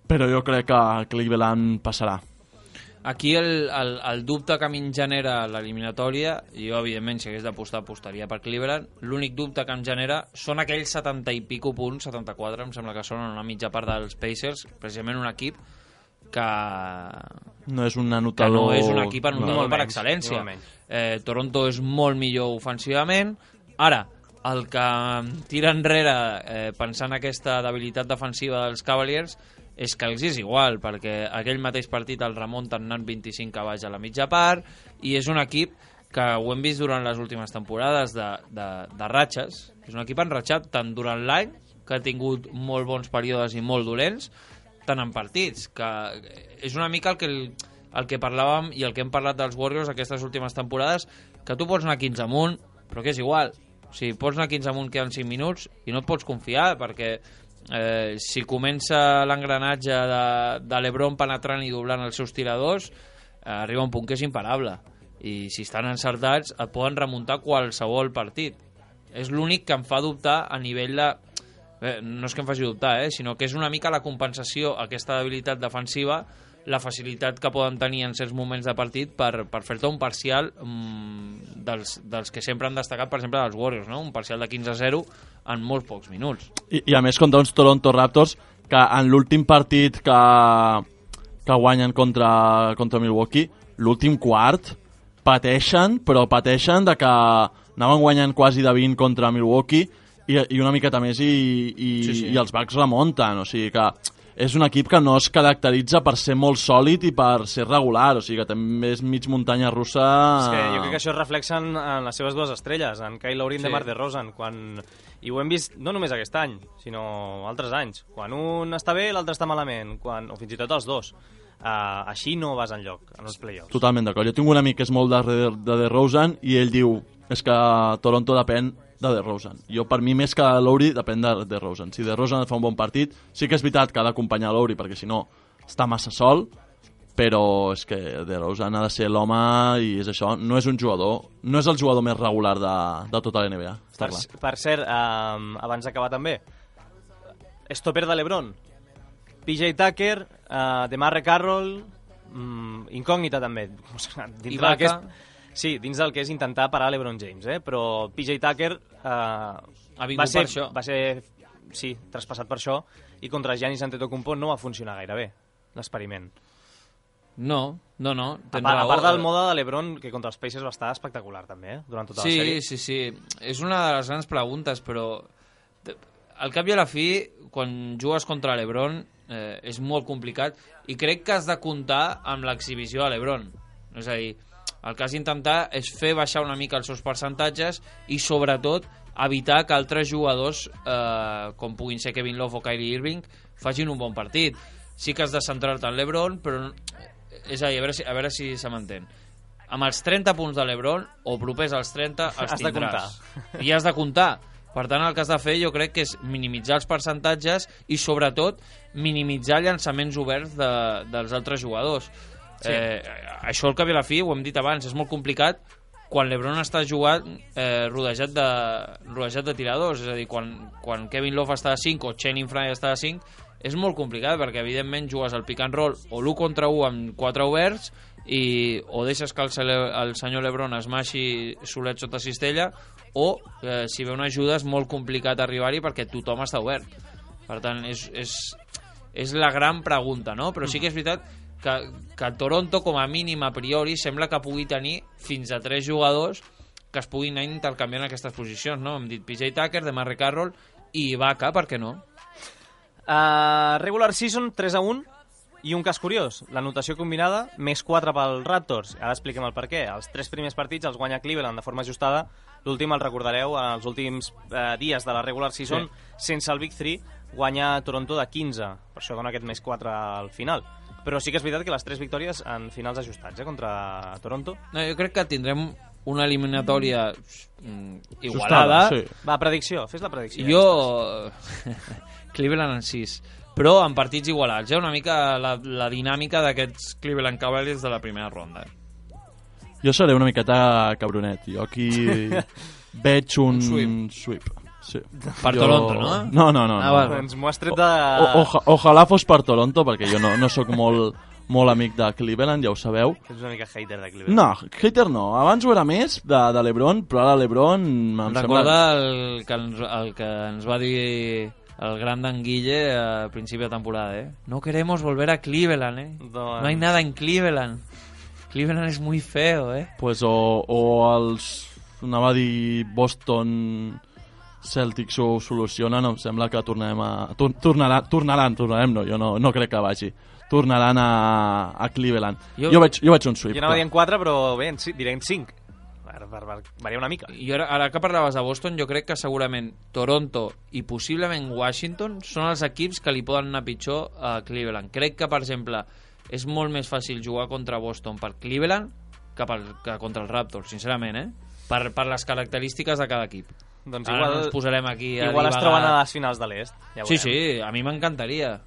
però jo crec que Cleveland passarà. Aquí el dubte que a mi em genera l'eliminatòria, jo evidentment si hagués d'apostar apostaria per Cleveland, l'únic dubte que em genera són aquells 70 i pico punts, 74 em sembla que són en una mitja part dels Pacers, precisament un equip que no és un anotador, que no és un equip anotador per excel·lència. Toronto és molt millor ofensivament. Ara, el que em tira enrere pensant aquesta debilitat defensiva dels Cavaliers és que els és igual, perquè aquell mateix partit el remunten anant 25 a baix a la mitja part, i és un equip que ho hem vist durant les últimes temporades de ratxes. És un equip enratxat tant durant l'any, que ha tingut molt bons períodes i molt dolents, tant en partits, que és una mica el que parlàvem i el que hem parlat dels Warriors aquestes últimes temporades, que tu pots anar 15 amunt, però que és igual. O sigui, pots anar 15 amunt, queden 5 minuts, i no et pots confiar, perquè si comença l'engranatge de LeBron penetrant i doblant els seus tiradors, arriba un punt que és imparable, i si estan encertats et poden remuntar qualsevol partit. És l'únic que em fa dubtar a nivell de... no és que em faci dubtar, sinó que és una mica la compensació a aquesta debilitat defensiva, la facilitat que poden tenir en certs moments de partit per fer-te un parcial dels que sempre han destacat, per exemple, dels Warriors, no? Un parcial de 15-0 en molt pocs minuts. I a més contra uns Toronto Raptors que en l'últim partit que guanyen contra Milwaukee, l'últim quart pateixen, però pateixen de que anaven guanyant quasi de 20 contra Milwaukee i una miqueta més i els Bucks remunten, o sigui que és un equip que no es caracteritza per ser molt sòlid i per ser regular, o sigui que també és mig muntanya russa... És que jo crec que això es reflexa en les seves dues estrelles, en Kyle Lowry i DeMar DeRozan, i ho hem vist no només aquest any, sinó altres anys. Quan un està bé, l'altre està malament, o fins i tot els dos. Així no vas enlloc, en els playoffs. Totalment d'acord. Jo tinc un amic que és molt de DeRozan i ell diu és que Toronto depèn de DeRozan. Jo, per mi, més que Lowry, depèn de DeRozan. Si DeRozan fa un bon partit, sí que és veritat que ha d'acompanyar Lowry, perquè si no està massa sol, però és que DeRozan ha de ser l'home i és això, no és un jugador, no és el jugador més regular de tota la NBA. Per cert, abans d'acabar també, stopper de LeBron, PJ Tucker, DeMarre Carroll, incògnita també. Ibaka. Sí, dins del que és intentar parar LeBron James, però PJ Tucker va ser traspassat per això i contra Giannis Antetokounmpo no va funcionar gaire bé. l'experiment. No. A part del mode de l'Ebron, que contra els Pacers va estar espectacular també, durant tota la sèrie. Sí. És una de les grans preguntes, però al cap i a la fi, quan jugues contra l'Ebron, és molt complicat i crec que has de comptar amb l'exhibició de l'Ebron. És a dir, el que has d'intentar és fer baixar una mica els seus percentatges i, sobretot, evitar que altres jugadors, com puguin ser Kevin Love o Kyrie Irving, facin un bon partit. Sí que has de centrar-te en l'Ebron, però... És a dir, a veure si se m'entén. Amb els 30 punts de l'Ebron, o propers als 30, els tindràs. I has de comptar. Per tant, el que has de fer jo crec que és minimitzar els percentatges i, sobretot, minimitzar llançaments oberts dels altres jugadors. Sí. Això, al cap i a la fi, ho hem dit abans, és molt complicat quan l'Ebron està jugant rodejat de tiradors. És a dir, quan Kevin Love està a 5 o Channing Frye està a 5, és molt complicat perquè, evidentment, jugues al pick and roll o l'1 contra 1 amb 4 oberts o deixes que el senyor LeBron es maixi solet sota cistella o, si ve una ajuda, és molt complicat arribar-hi perquè tothom està obert. Per tant, és la gran pregunta, no? Però sí que és veritat que Toronto, com a mínim a priori, sembla que pugui tenir fins a 3 jugadors que es puguin anar intercanviant aquestes posicions, no? Hem dit PJ Tucker, DeMarre Carroll i Ibaka, per què no? Regular season 3-1 i un cas curiós, la notació combinada més 4 pel Raptors. Ara expliquem el per què. Els 3 primers partits els guanya Cleveland de forma ajustada, l'últim el recordareu en els últims dies de la regular season, sense el Big 3 guanya Toronto de 15, per això dona aquest més 4 al final. Però sí que és veritat que les 3 victòries en finals ajustats contra Toronto. No, jo crec que tindrem una eliminatòria igualada. Sí. Va, predicció, fes la predicció. Jo... Cleveland en 6, però en partits igualats, una mica la dinàmica d'aquests Cleveland Cavaliers de la primera ronda. Jo seré una miqueta cabronet, jo aquí veig un sweep. Sí. Per Toronto, no? No. Doncs m'ho has tret de... Ojalà fos per Toronto, perquè jo no sóc molt amic de Cleveland, ja ho sabeu. Ets una mica hater de Cleveland. No, hater no. Abans ho era més de l'Ebron, però ara l'Ebron... Recorda el que ens va dir el gran d'Anguille a principi de temporada, No queremos volver a Cleveland, No hay nada en Cleveland. Cleveland es muy feo, Pues o els... Anava a dir Boston Celtics ho solucionen, em sembla que tornaran, no, jo no crec que vagi. Tornaran a Cleveland. Jo veig un sweep. Jo anava dient 4, però bé, diré en 5. Per variar una mica. I ara que parlaves de Boston, jo crec que segurament Toronto i possiblement Washington són els equips que li poden anar pitjor a Cleveland. Crec que, per exemple, és molt més fàcil jugar contra Boston per Cleveland que contra els Raptors, sincerament, per les característiques de cada equip. Doncs ara no ens posarem aquí a igual es troben a les finals de l'Est. Ja sí, a mi m'encantaria.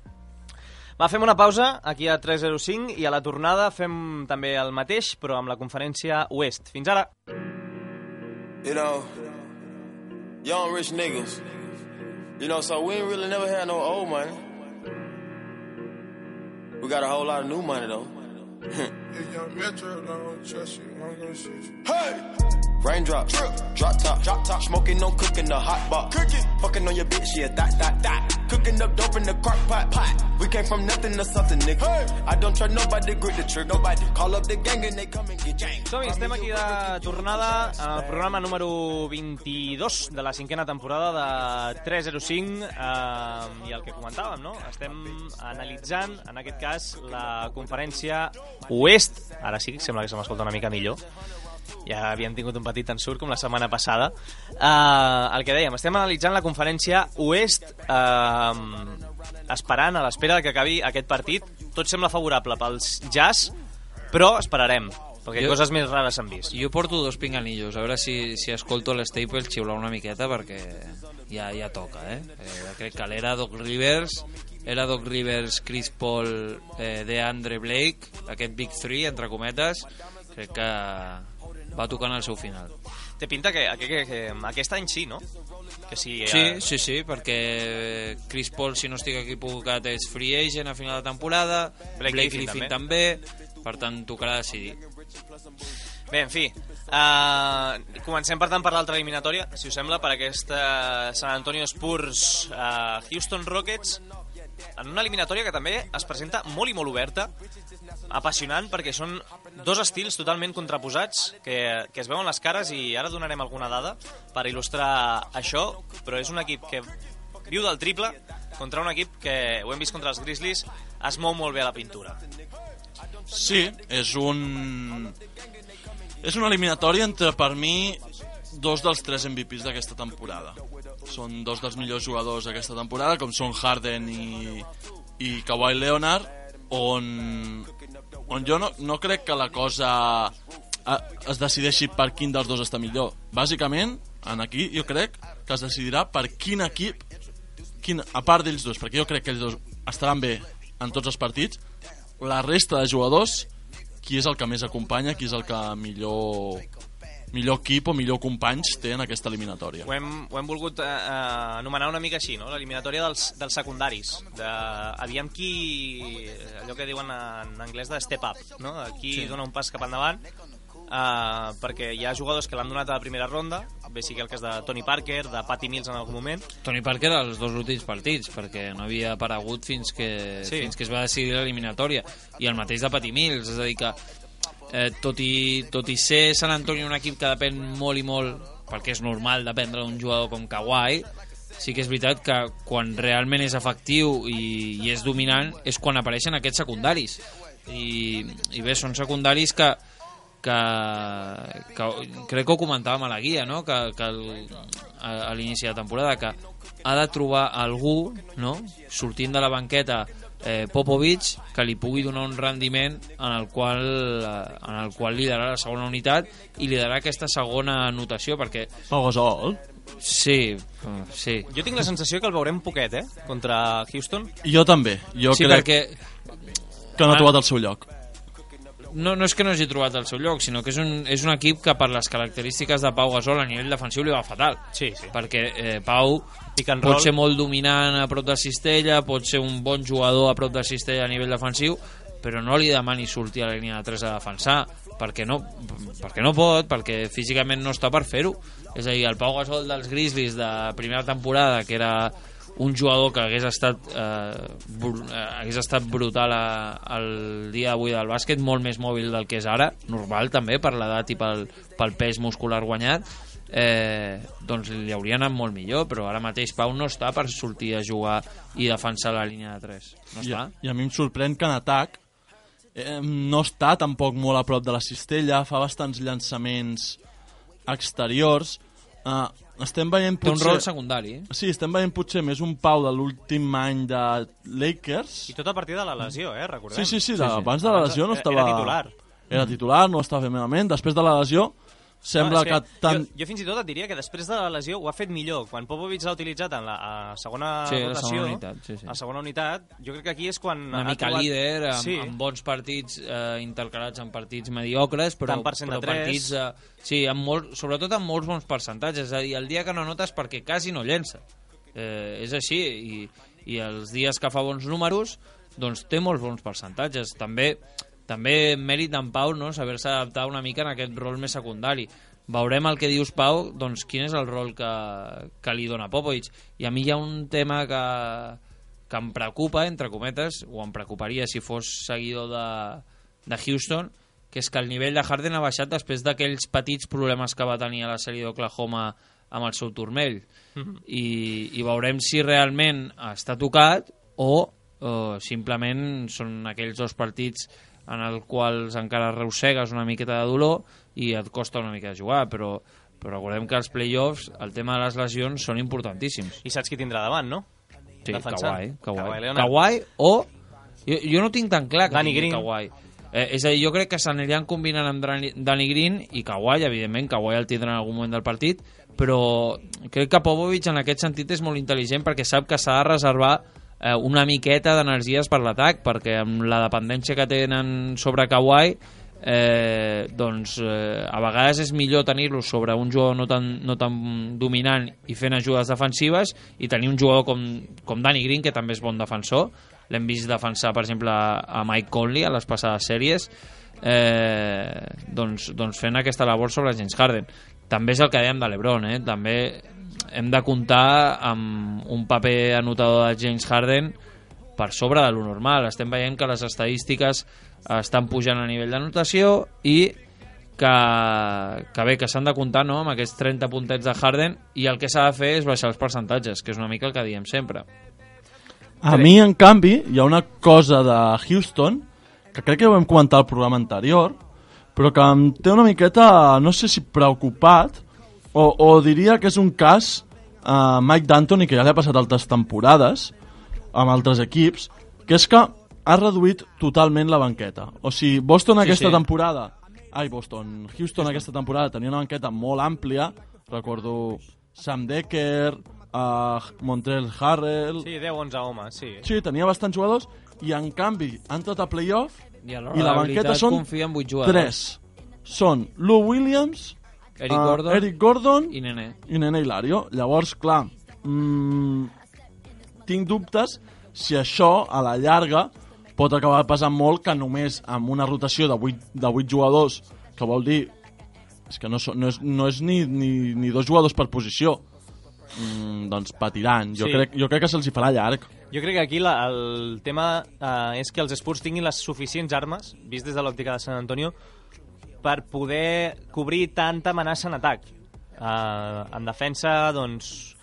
Va, fem una pausa aquí a 3:05 i a la tornada fem també el mateix, però amb la conferència Oest. Fins ara. You know, young rich niggas. You know, so we ain't really never had no old money. We got a whole lot of new money, though. Hey! Raindrop, drop top, smoking, no cooking, the hot box. Fucking on your bitch, yeah, that. Cooking up dope in the crock pot. We came from nothing to something, nigga. I don't try nobody, grip the trick, nobody. Call up the gang and they come and get gang. Som-hi, estem aquí de tornada en el programa número 22 de la 5ª temporada de 305 i el que comentàvem, no? Estem analitzant, en aquest cas, la conferència Oest. Ara sí, sembla que se m'escolta una mica millor. Ja havíem tingut un petit ensurt com la setmana passada. El que dèiem, estem analitzant la conferència Oest, esperant, a l'espera que acabi aquest partit. Tot sembla favorable pels Jazz, però esperarem, perquè coses més rares s'han vist. Jo porto 2 pinganillos, a veure si escolto l'Staples xiular una miqueta, perquè ja toca, crec que l'era Doc Rivers, Chris Paul, DeAndre Blake, aquest Big 3, entre cometes, crec que va tocant el seu final. Té pinta que aquest any sí, no? Que sí, sí, perquè Chris Paul, si no estic equivocat, és free agent a final de temporada, Blake Griffin també, per tant tocarà decidir. Bé, en fi, comencem per tant per l'altra eliminatòria, si us sembla, per aquesta San Antonio Spurs Houston Rockets. en una eliminatòria que també es presenta molt i molt oberta, apassionant, perquè són dos estils totalment contraposats que es veuen les cares, i ara donarem alguna dada per il·lustrar això, però és un equip que viu del triple contra un equip que, ho hem vist contra els Grizzlies, es mou molt bé a la pintura. Sí, és una eliminatòria entre, per mi, dos dels 3 MVPs d'aquesta temporada. Són dos dels millors jugadors d'aquesta temporada, com són Harden i Kawhi Leonard, on jo no crec que la cosa es decideixi per quin dels dos està millor. Bàsicament, aquí jo crec que es decidirà per quin equip, a part d'ells dos, perquè jo crec que ells dos estaran bé en tots els partits, la resta de jugadors, qui és el que més acompanya, qui és el que millor equip o millor companys té en aquesta eliminatòria. Ho hem volgut anomenar una mica així, no? L'eliminatòria dels secundaris, aviam qui, allò que diuen en anglès de step up, no? Qui dona un pas cap endavant, perquè hi ha jugadors que l'han donat a la primera ronda, bé sigui el cas de Tony Parker, de Patty Mills en algun moment. Tony Parker als 2 últims partits, perquè no havia aparegut fins que es va decidir l'eliminatòria, i el mateix de Patty Mills, és a dir que tot i ser San Antonio un equip que depèn molt i molt, perquè és normal dependre d'un jugador com Kawhi, sí que és veritat que quan realment és efectiu i és dominant és quan apareixen aquests secundaris, i bé, són secundaris que crec que ho comentàvem a la guia, no? que a l'inici de temporada, que ha de trobar algú, no? Sortint de la banqueta, Popovich, que li pugui donar un rendiment en el qual liderar la segona unitat i liderar aquesta segona anotació, perquè Pau Gasol? Sí. Jo tinc la sensació que el veurem poquet, contra Houston. Jo també, crec que no ha trobat el seu lloc. No és que no hagi trobat el seu lloc, sinó que és un equip que per les característiques de Pau Gasol a nivell defensiu li va fatal. Sí. Perquè Pau pot ser molt dominant a prop de cistella, pot ser un bon jugador a prop de cistella a nivell defensiu, però no li demani sortir a la línia de 3 a defensar, perquè no pot, perquè físicament no està per fer-ho. És a dir, el Pau Gasol dels Grizzlies de primera temporada, que era un jugador que hagués estat brutal el dia d'avui del bàsquet, molt més mòbil del que és ara, normal també per l'edat i pel pes muscular guanyat, doncs li hauria anat molt millor, però ara mateix Pau no està per sortir a jugar i defensar la línia de 3, no està. I a mi em sorprèn que en atac no està tampoc molt a prop de la cistella, fa bastants llançaments exteriors, estem veient potser... Té un rol secundari. Sí, estem veient potser més un Pau de l'últim any de Lakers. I tot a partir de la lesió, recordem. Sí, abans de la lesió no estava... Era titular, no estava fent malament. Després de la lesió sembla que jo fins i tot et diria que després de la lesió ho ha fet millor. Quan Popovich l'ha utilitzat en la segona rotació, a segona unitat, jo crec que aquí és quan... Una mica líder, amb bons partits intercalats en partits mediocres, però partits... sobretot amb molts bons percentatges. És a dir, el dia que no notes perquè quasi no llença. És així, i els dies que fa bons números, doncs té molts bons percentatges. També mèrit d'en Pau, no? Saber-se adaptar una mica en aquest rol més secundari. Veurem el que dius, Pau, doncs quin és el rol que li dona Popovich. I a mi hi ha un tema que em preocupa, entre cometes, o em preocuparia si fos seguidor de Houston, que és que el nivell de Harden ha baixat després d'aquells petits problemes que va tenir a la sèrie d'Oklahoma amb el seu turmell. I veurem si realment està tocat o simplement són aquells dos partits en els quals encara arrossegues una miqueta de dolor i et costa una mica de jugar, però recordem que els playoffs, el tema de les lesions són importantíssims. I saps qui tindrà davant, no? Sí, Kawhi o... Jo no tinc tan clar que tingui Kawhi. És a dir, jo crec que s'aniran combinant amb Danny Green i Kawhi, evidentment, Kawhi el tindrà en algun moment del partit, però crec que Popovich en aquest sentit és molt intel·ligent perquè sap que s'ha de reservar una miqueta d'energies per l'atac, perquè amb la dependència que tenen sobre Kawhi, doncs a vegades és millor tenir-lo sobre un jugador no tan dominant i fent ajudes defensives, i tenir un jugador com Danny Green, que també és bon defensor. L'hem vist defensar, per exemple, a Mike Conley a les passades sèries, doncs fent aquesta labor sobre James Harden. També és el que dèiem de LeBron, també hem de comptar amb un paper anotador de James Harden per sobre de lo normal. Estem veient que les estadístiques estan pujant a nivell d'anotació i que bé, que s'han de comptar, no?, amb aquests 30 puntets de Harden, i el que s'ha de fer és baixar els percentatges, que és una mica el que diem sempre. A mi, en canvi, hi ha una cosa de Houston que crec que ho vam comentar al programa anterior, però que em té una miqueta, no sé si preocupat, o diria que és un cas Mike D'Antoni, que ja li ha passat altres temporades amb altres equips, que és que ha reduït totalment la banqueta. O sigui, Houston aquesta temporada tenia una banqueta molt àmplia, recordo Sam Dekker, Montrezl Harrell... Sí, 10-11 homes, sí. Sí, tenia bastants jugadors, i en canvi ha entrat a playoff i la banqueta són 3. Són Lou Williams, Eric Gordon i Nene Hilario. Llavors, clar, tinc dubtes si això a la llarga pot acabar pesant molt, que només amb una rotació de 8 jugadors, que vol dir és que no és ni 2 jugadors per posició, doncs patiran. Jo crec que se'ls hi farà llarg. Jo crec que aquí el tema és que els Spurs tinguin les suficients armes, vist des de l'òptica de San Antonio, per poder cobrir tanta amenaça en atac. En defensa, doncs,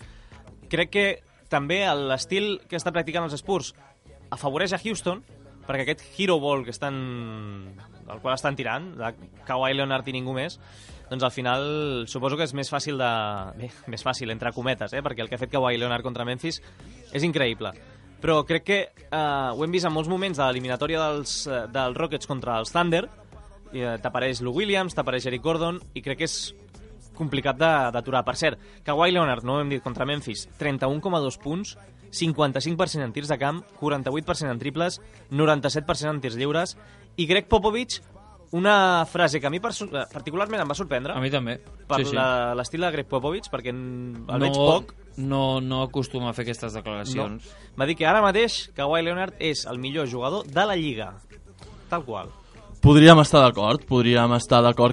crec que també l'estil que està practicant els Spurs afavoreix a Houston, perquè aquest hero ball el qual estan tirant, de Kawhi Leonard i ningú més, doncs al final suposo que és més fàcil més fàcil, entre cometes, perquè el que ha fet Kawhi Leonard contra Memphis és increïble. Però crec que ho hem vist en molts moments de l'eliminatòria dels Rockets contra els Thunder, t'apareix Lou Williams, t'apareix Eric Gordon, i crec que és complicat d'aturar. Per cert, Kawhi Leonard, no ho hem dit, contra Memphis, 31,2 punts, 55% en tirs de camp, 48% en triples, 97% en tirs lliures, i Greg Popovich, una frase que a mi particularment em va sorprendre. A mi també. Per l'estil de Greg Popovich, perquè el veig poc. No acostuma a fer aquestes declaracions. No. Va dir que ara mateix Kawhi Leonard és el millor jugador de la Lliga. Tal qual. Podríem estar d'acord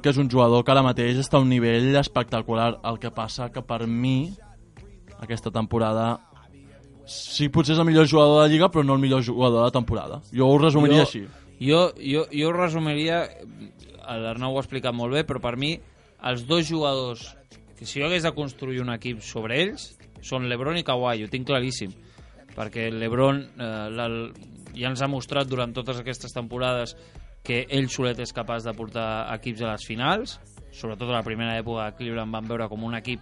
que és un jugador que ara mateix està a un nivell espectacular. El que passa que per mi aquesta temporada sí, potser és el millor jugador de la Lliga, però no el millor jugador de la temporada. Jo ho resumiria així. Jo ho resumiria, l'Arnau ho ha explicat molt bé, però per mi els 2 jugadors que si jo hagués de construir un equip sobre ells són LeBron i Kawhi, ho tinc claríssim, perquè LeBron ja ens ha mostrat durant totes aquestes temporades que ell solet és capaç de portar equips a les finals, sobretot a la primera època de Cleveland van veure com un equip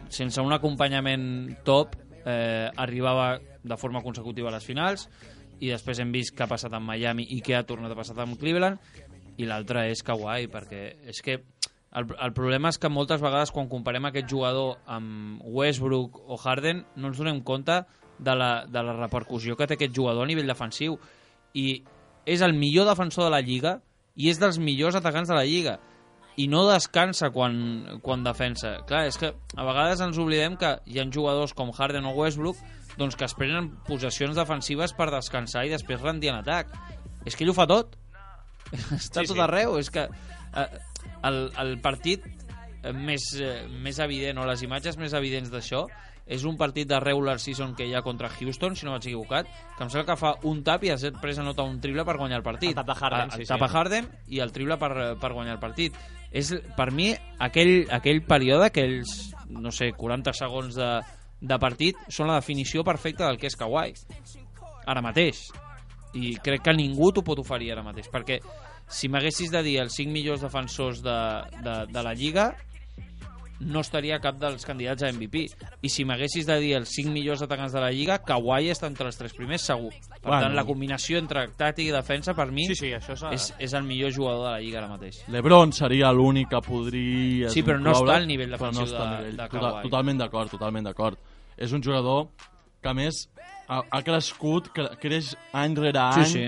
sense un acompanyament top arribava de forma consecutiva a les finals, i després hem vist què ha passat amb Miami i què ha tornat a passar amb Cleveland, i l'altre és Kawhi, perquè és que el problema és que moltes vegades quan comparem aquest jugador amb Westbrook o Harden no ens donem compte de la repercussió que té aquest jugador a nivell defensiu, i és el millor defensor de la Lliga i és dels millors atacants de la Lliga, i no descansa quan defensa. Clar, és que a vegades ens oblidem que hi ha jugadors com Harden o Westbrook doncs que es prenen possessions defensives per descansar i després rendir en atac. És que ell ho fa tot. Està tot arreu. És que el partit més evident, o les imatges més evidents d'això, és un partit de regular season que hi ha contra Houston, si no vaig equivocat, que em sembla que fa un tap i després anota un triple per guanyar el partit. El tap de Harden, el tap de Harden i el triple per guanyar el partit. És, per mi, aquell període, aquells, no sé, 40 segons de partit, són la definició perfecta del que és Kawhi. Ara mateix. I crec que ningú t'ho pot oferir ara mateix, perquè si m'haguessis de dir els 5 millors defensors de la Lliga, no estaria cap dels candidats a MVP. I si m'haguessis de dir els 5 millors atacants de la Lliga, Kawhi està entre els 3 primers, segur. Per tant, la combinació entre tàctica i defensa, per mi, això és el millor jugador de la Lliga ara mateix. LeBron seria l'únic que podria... Sí, però no està al nivell defensiu de Kawhi. Totalment d'acord. És un jugador que, a més, ha crescut, creix any rere any. Sí.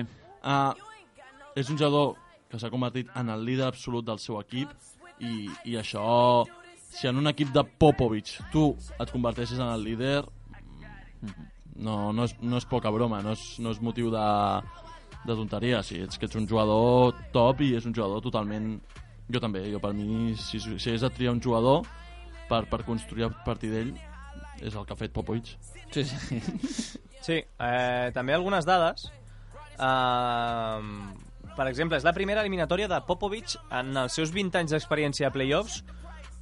És un jugador que s'ha convertit en el líder absolut del seu equip, i això... Si en un equip de Popovich tu et converteixes en el líder, no és poca broma, no és motiu de tonteria. Sí, és que ets un jugador top i és un jugador totalment... Jo també, per mi, si és de triar un jugador per construir a partir d'ell, és el que ha fet Popovich. Sí. Sí, també algunes dades. Per exemple, és la primera eliminatòria de Popovich en els seus 20 anys d'experiència a playoffs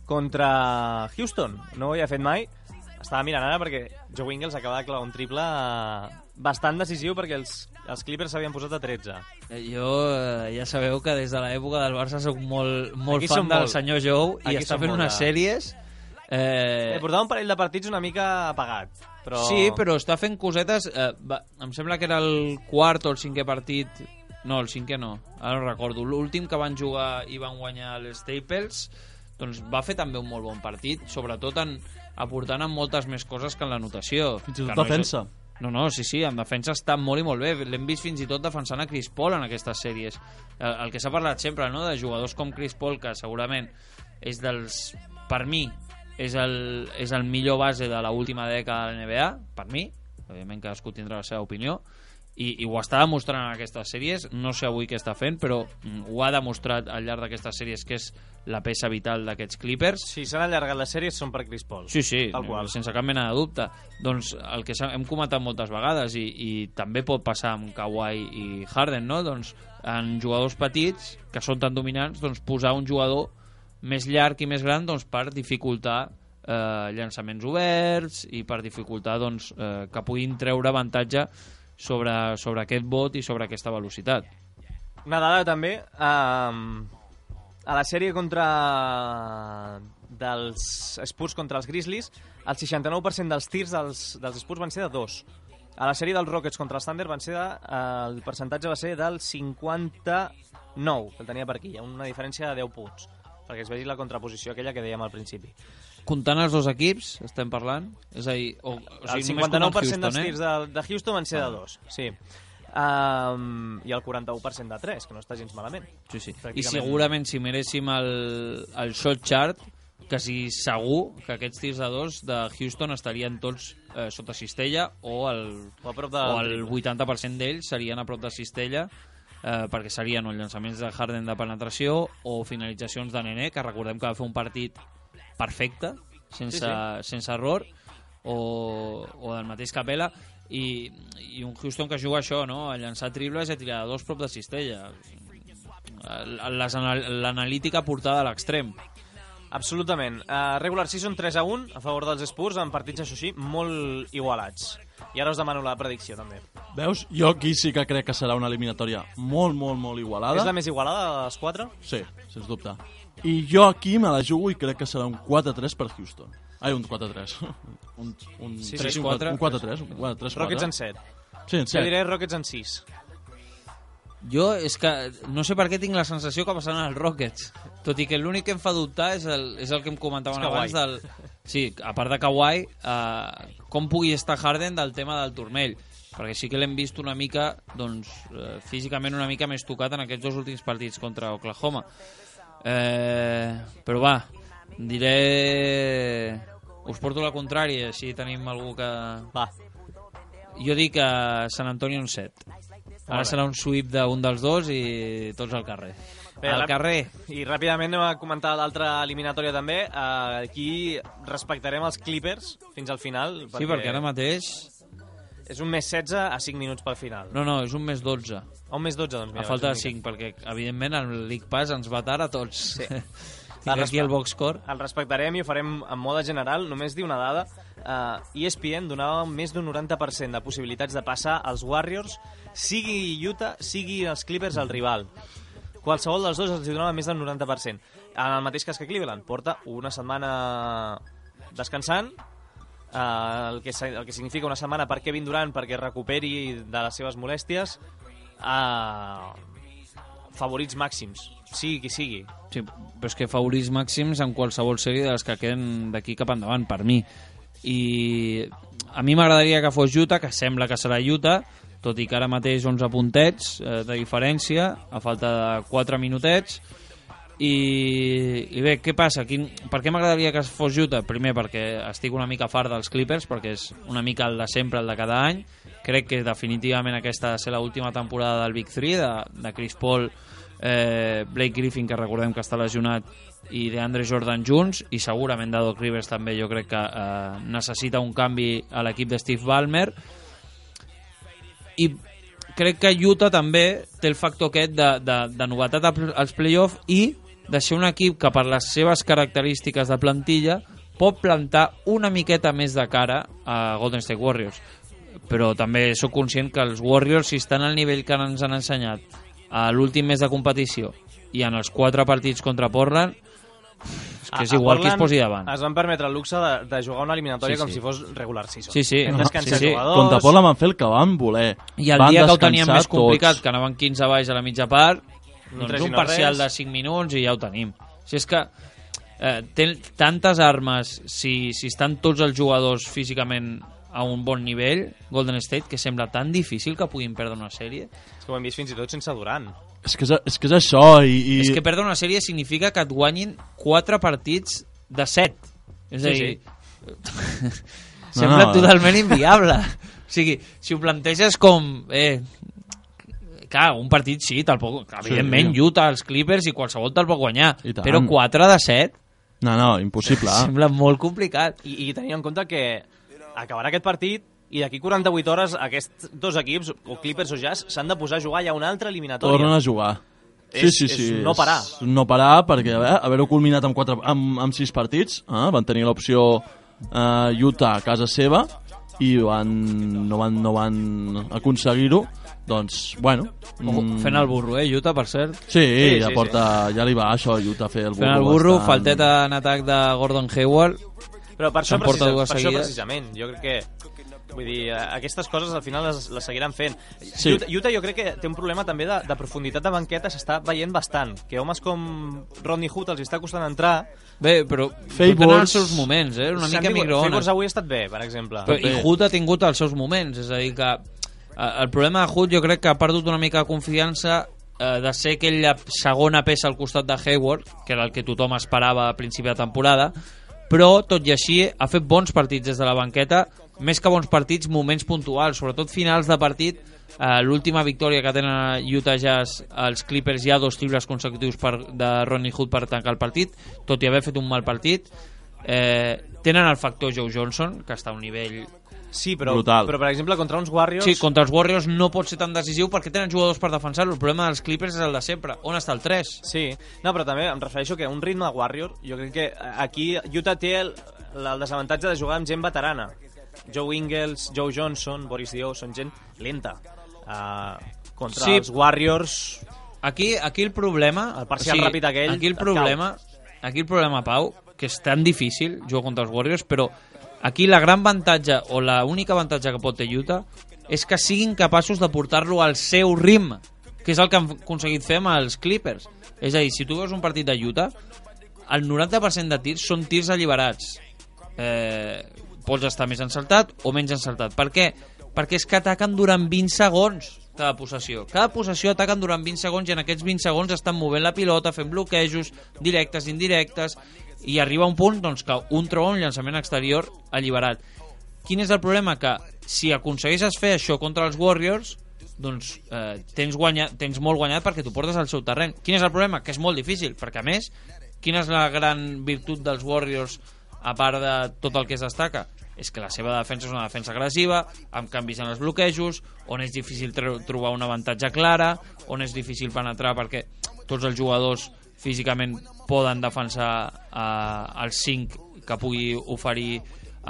contra Houston. No ho havia fet mai. Estava mirant ara perquè Joe Ingles acaba de clavar un triple bastant decisiu perquè els Clippers s'havien posat a 13. Jo ja sabeu que des de l'època del Barça soc molt Aquí fan som del molt. senyor Joe i Aquí està som fent molt unes sèries... Portava un parell de partits una mica apagat. Però... Sí, però està fent cosetes... em sembla que era el quart o el cinquè partit... No, el cinquè no, ara no recordo. L'últim que van jugar i van guanyar els Staples, doncs va fer també un molt bon partit, sobretot aportant en moltes més coses que en la notació. Fins i tot defensa. No, sí, en defensa està molt i molt bé. L'hem vist fins i tot defensant a Chris Paul en aquestes sèries. El que s'ha parlat sempre, no?, de jugadors com Chris Paul, que segurament és dels... Per mi, és el millor base de l'última dècada de l'NBA, per mi. Òbviament cadascú tindrà la seva opinió. I ho està demostrant en aquestes sèries. No sé avui què està fent, però ho ha demostrat al llarg d'aquestes sèries, que és la peça vital d'aquests Clippers. Si s'han allargat les sèries són per Chris Paul. Sí, tal qual. Sense cap mena de dubte. Doncs el que hem comentat moltes vegades, i també pot passar amb Kawhi i Harden, no? Doncs en jugadors petits, que són tan dominants, doncs posar un jugador més llarg i més gran, doncs, per dificultar llançaments oberts i per dificultar, doncs, que puguin treure avantatge sobre aquest bot i sobre aquesta velocitat. Una dada també, a la sèrie dels Spurs contra els Grizzlies, el 69% dels tirs dels Spurs van ser de 2. A la sèrie dels Rockets contra els Thunder el percentatge va ser del 59, que el tenia per aquí. Hi ha una diferència de 10 punts, perquè es vegi la contraposició aquella que dèiem al principi. Comptant els dos equips, estem parlant? És a dir, el 59% dels tirs de Houston van ser de 2, sí. I el 41% de 3, que no està gens malament. Sí. I segurament si miréssim el shot chart, quasi segur que aquests tirs de 2 de Houston estarien tots sota cistella o el 80% d'ells serien a prop de cistella, perquè serien o llançaments de Harden de penetració o finalitzacions de Nené, que recordem que va fer un partit perfecte, sense error, o del mateix Capela, i un Houston que juga això, no?, a llançar triples i a tirar de 2 prop de cistella. L'analítica portada a l'extrem. Absolutament. Regular season 3-1 a favor dels Spurs, en partits, això sí, molt igualats. I ara us demano la predicció, també. Veus? Jo aquí sí que crec que serà una eliminatòria molt, molt, molt igualada. És la més igualada de les 4? Sí, sens dubte. I jo aquí me la jugo i crec que serà un 4-3 per Houston. Ai, un 4-3. Un 3-4. Un 4-3. Un 4-3. Rockets en 7. Sí, en 7. Jo diré Rockets en 6. Jo és que no sé per què tinc la sensació que passaran els Rockets, tot i que l'únic que em fa dubtar és el que em comentaven abans sí, a part de Kawhi, com pugui estar Harden del tema del turmell, perquè sí que l'hem vist una mica, doncs, físicament una mica més tocat en aquests 2 últims partits contra Oklahoma. Però va, diré... Us porto la contrària, així tenim algú que... Va. Jo dic San Antonio un 7. Ara serà un sweep d'un dels dos i tots al carrer. Bé, al carrer. I ràpidament anem a comentar l'altra eliminatòria també. Aquí respectarem els Clippers fins al final. Sí, perquè ara mateix... És un més 16 a 5 minuts pel final. No, és un més 12. Un més 12, doncs mira. A falta de 5, perquè evidentment el League Pass ens va tard a tots. Sí. Aquí el box score. El respectarem i ho farem en mode general. Només dir una dada. ESPN donava més d'un 90% de possibilitats de passar als Warriors, sigui Utah, sigui els Clippers el rival. Qualsevol dels dos els donava més del 90%. En el mateix cas que Cleveland. Porta una setmana descansant, el que significa una setmana per Kevin Durant perquè recuperi de les seves molèsties. Favorits màxims, sigui qui sigui. Sí, però és que favorits màxims en qualsevol sèrie de les que queden d'aquí cap endavant, per mi. I a mi m'agradaria que fos Utah, que sembla que serà Utah, tot i que ara mateix 11 puntets de diferència, a falta de 4 minutets. I bé, què passa? Per què m'agradaria que fos Utah? Primer, perquè estic una mica fart dels Clippers, perquè és una mica el de sempre, el de cada any. Crec que definitivament aquesta ha de ser l'última temporada del Big 3, de Chris Paul, Blake Griffin, que recordem que està lesionat, i DeAndre Jordan junts, i segurament de Doc Rivers també. Jo crec que necessita un canvi a l'equip de Steve Ballmer. I crec que Utah també té el factor aquest de novetat als play-off i de ser un equip que per les seves característiques de plantilla pot plantar una miqueta més de cara a Golden State Warriors. Però també sóc conscient que els Warriors, si estan al nivell que ens han ensenyat a l'últim mes de competició i en els 4 partits contra Portland, és que és igual qui es posi davant. Es van permetre el luxe de jugar una eliminatòria com si fos regular season. Sí. Jugadors. Contra Portland van fer el que van voler. I el dia que ho teníem més complicat, que anaven 15 baix a la mitja part, doncs un parcial de 5 minuts i ja ho tenim. Si és que té tantes armes, si estan tots els jugadors físicament a un bon nivell, Golden State, que sembla tan difícil que puguin perdre una sèrie. És que ho hem vist fins i tot sense Durant. És que és això. És que perdre una sèrie significa que et guanyin 4 partits de 7. És a dir, sembla totalment inviable. O sigui, si ho planteges com... clar, un partit sí, evidentment Utah, els Clippers i qualsevol te'l pot guanyar, però 4 de 7... No, impossible. Sembla molt complicat. I tenint en compte que acabarà aquest partit i d'aquí 48 hores aquests dos equips, o Clippers o Jazz, s'han de posar a jugar ja una altra eliminatòria. Tornen a jugar. Sí. És no parar. No parar, perquè haver-ho culminat amb 6 partits, van tenir l'opció Utah a casa seva i no van aconseguir-ho. Doncs, bueno... Fent el burro, Utah, per cert. Sí, ja li va això a Utah fer el burro. Fent el burro, falteta en atac de Gordon Hayward. Però per això precisament, jo crec que... Vull dir, aquestes coses al final les seguiran fent. Sí. Utah jo crec que té un problema també de profunditat de banqueta, s'està veient bastant. Que homes com Rodney Hood els està costant entrar. Bé, però tenen els seus moments, una mica microones. Favors avui ha estat bé, per exemple. I Hood ha tingut els seus moments, és a dir que el problema de Hood jo crec que ha perdut una mica de confiança de ser aquella segona peça al costat de Hayward, que era el que tothom esperava a principi de temporada, però tot i així ha fet bons partits des de la banqueta, més que bons partits, moments puntuals, sobretot finals de partit. L'última victòria que tenen a Utah Jazz, els Clippers, hi ha 2 triples consecutius de Rodney Hood per tancar el partit, tot i haver fet un mal partit. Tenen el factor Joe Johnson, que està a un nivell sí, però per exemple contra uns Warriors... Sí, contra els Warriors no pot ser tan decisiu perquè tenen jugadors per defensar-lo. El problema dels Clippers és el de sempre. On està el 3? Sí, no, però també em refereixo que un ritme de Warrior, jo crec que aquí Utah té el desavantatge de jugar amb gent veterana. Joe Ingles, Joe Johnson, Boris Dio, són gent lenta. Contra els Warriors... Aquí el problema... El parcial ràpid aquell... Aquí el problema, Pau, que és tan difícil jugar contra els Warriors, però aquí la gran avantatge, o la única avantatge que pot ter Utah, és que siguin capaços de portar-lo al seu ritme, que és el que han aconseguit fer amb els Clippers. És a dir, si tu veus un partit de Utah, el 90% de tirs són tirs alliberats. Pots estar més encertat o menys encertat. Per què? Perquè és que ataquen durant 20 segons cada possessió. Cada possessió ataquen durant 20 segons i en aquests 20 segons estan movent la pilota, fent bloquejos, directes, indirectes, i arriba un punt doncs, que un troba un llançament exterior alliberat. Quin és el problema? Que si aconsegueixes fer això contra els Warriors, doncs tens molt guanyat perquè t'ho portes al seu terreny. Quin és el problema? Que és molt difícil, perquè a més, quina és la gran virtut dels Warriors a part de tot el que es destaca? És que la seva defensa és una defensa agressiva, amb canvis en els bloquejos, on és difícil trobar un avantatge clara, on és difícil penetrar perquè tots els jugadors físicament poden defensar els 5 que pugui oferir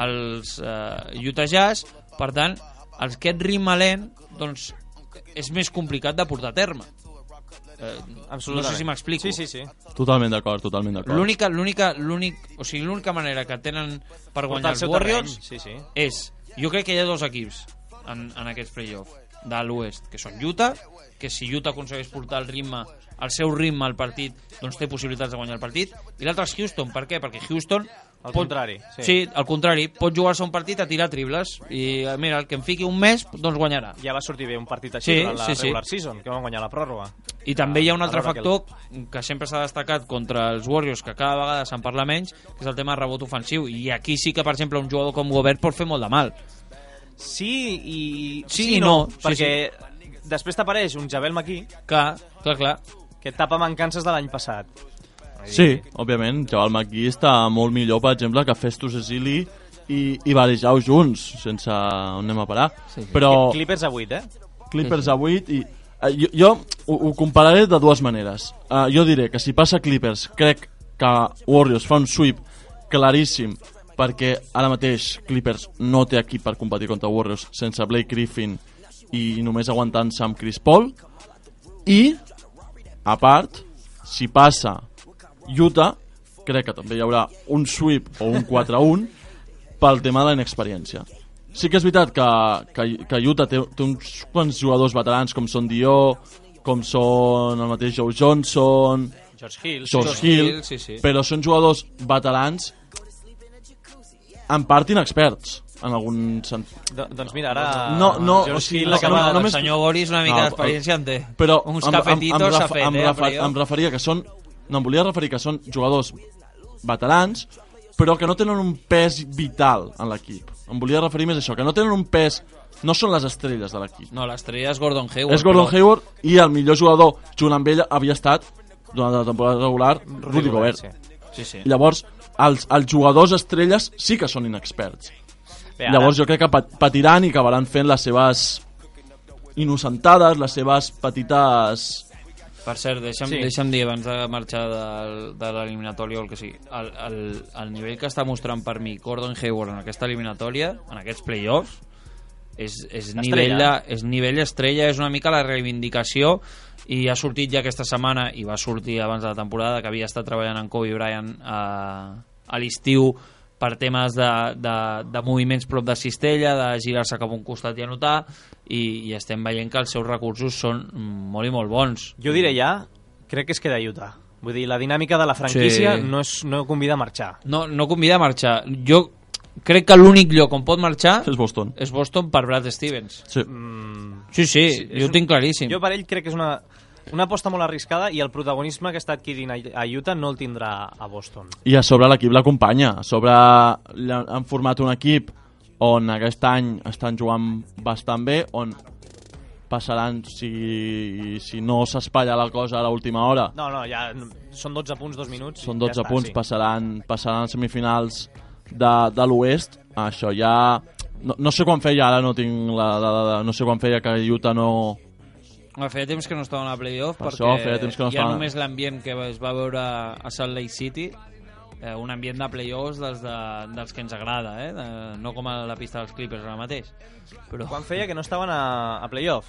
els Utah Jazz. Per tant, aquest ritme lent doncs, és més complicat de portar a terme. No sé si m'explico. Sí. Totalment d'acord. L'única manera que tenen per guanyar els Warriors és... Jo crec que hi ha 2 equips en aquests play-off de l'oest, que són Utah, que si Utah aconsegueix portar el seu ritme al partit, doncs té possibilitats de guanyar el partit, i l'altre és Houston. Per què? Perquè Houston... Al contrari. Sí, al contrari. Pot jugar-se un partit a tirar triples i mira, el que em fiqui un mes, doncs guanyarà. Ja va sortir bé un partit així durant la regular season, que van guanyar la pròrroga. I també hi ha un altre factor que sempre s'ha destacat contra els Warriors, que cada vegada se'n parla menys, que és el tema de rebot ofensiu. I aquí sí que, per exemple, un jugador com Gobert pot fer molt de mal. Sí i no. Perquè després t'apareix un Javel McGee. Clar. Que tapa mancances de l'any passat. Sí, òbviament, Javel McGee està molt millor, per exemple, que Festus Ezeli i Varejao junts, sense on anem a parar. Sí. Però... Clippers a 8, Clippers a 8 i jo ho compararé de dues maneres. Jo diré que si passa Clippers crec que Warriors fa un sweep claríssim, perquè ara mateix Clippers no té equip per competir contra Warriors sense Blake Griffin i només aguantant-se amb Chris Paul. I a part, si passa Utah, crec que també hi haurà un sweep o un 4-1 pel tema de la inexperiència. Sí que és veritat que Utah té uns quants jugadors veterans com són Dio, com són el mateix Joe Johnson, George Hill, sí. però són jugadors veterans en part inexperts en algun sentit. Doncs mira, ara... No, George o sigui, Hill no, acaba... no, només... El senyor Boris una mica d'experiència en té. Però uns cafetitos s'ha fet, em referia que són... No, em volia referir que són jugadors veterans, però que no tenen un pes vital en l'equip. Em volia referir més a això, que no tenen un pes... No són les estrelles de l'equip. No, l'estrella és Gordon Hayward. És Gordon Hayward i el millor jugador junt amb ell havia estat, durant la temporada regular, Rudy Gobert. Sí. Llavors, els jugadors estrelles sí que són inexperts. Bé, Llavors jo crec que patiran i acabaran fent les seves innocentades, les seves petites... Per cert, deixa'm dir abans de marxar de l'eliminatòria o el que sigui, el nivell que està mostrant per mi Gordon Hayward en aquesta eliminatòria, en aquests play-offs, és nivell estrella, és una mica la reivindicació, i ha sortit ja aquesta setmana, i va sortir abans de la temporada, que havia estat treballant amb Kobe Bryant a l'estiu per temes de moviments prop de cistella, de girar-se cap a un costat i anotar, i estem veient que els seus recursos són molt i molt bons. Jo diré ja, crec que es queda a Utah. Vull dir, la dinàmica de la franquícia Sí. no convida a marxar. No convida a marxar. Jo crec que l'únic lloc on pot marxar És Boston. és Boston per Brad Stevens. Sí. Sí, jo ho tinc claríssim. Jo per ell crec que és una aposta molt arriscada, i el protagonisme que està adquirint a Utah no el tindrà a Boston. I a sobre l'equip l'acompanya. A sobre han format un equip on aquest any estan jugant bastant bé, on passaran, si no s'espatlla la cosa a l'última hora, No, ja són 12 punts, 2 minuts. són 12 ja punts, sí. passaran a semifinals de l'oest. Això ja... No sé quan feia, ara no tinc no sé quan feia que Utah no... Feia temps que no estaven a playoff, Per perquè això, feia temps que no hi ha estaven. només l'ambient que es va veure a Salt Lake City, un ambient de playoffs dels que ens agrada, no com a la pista dels Clippers ara mateix. Però... Quan feia que no estaven a playoff?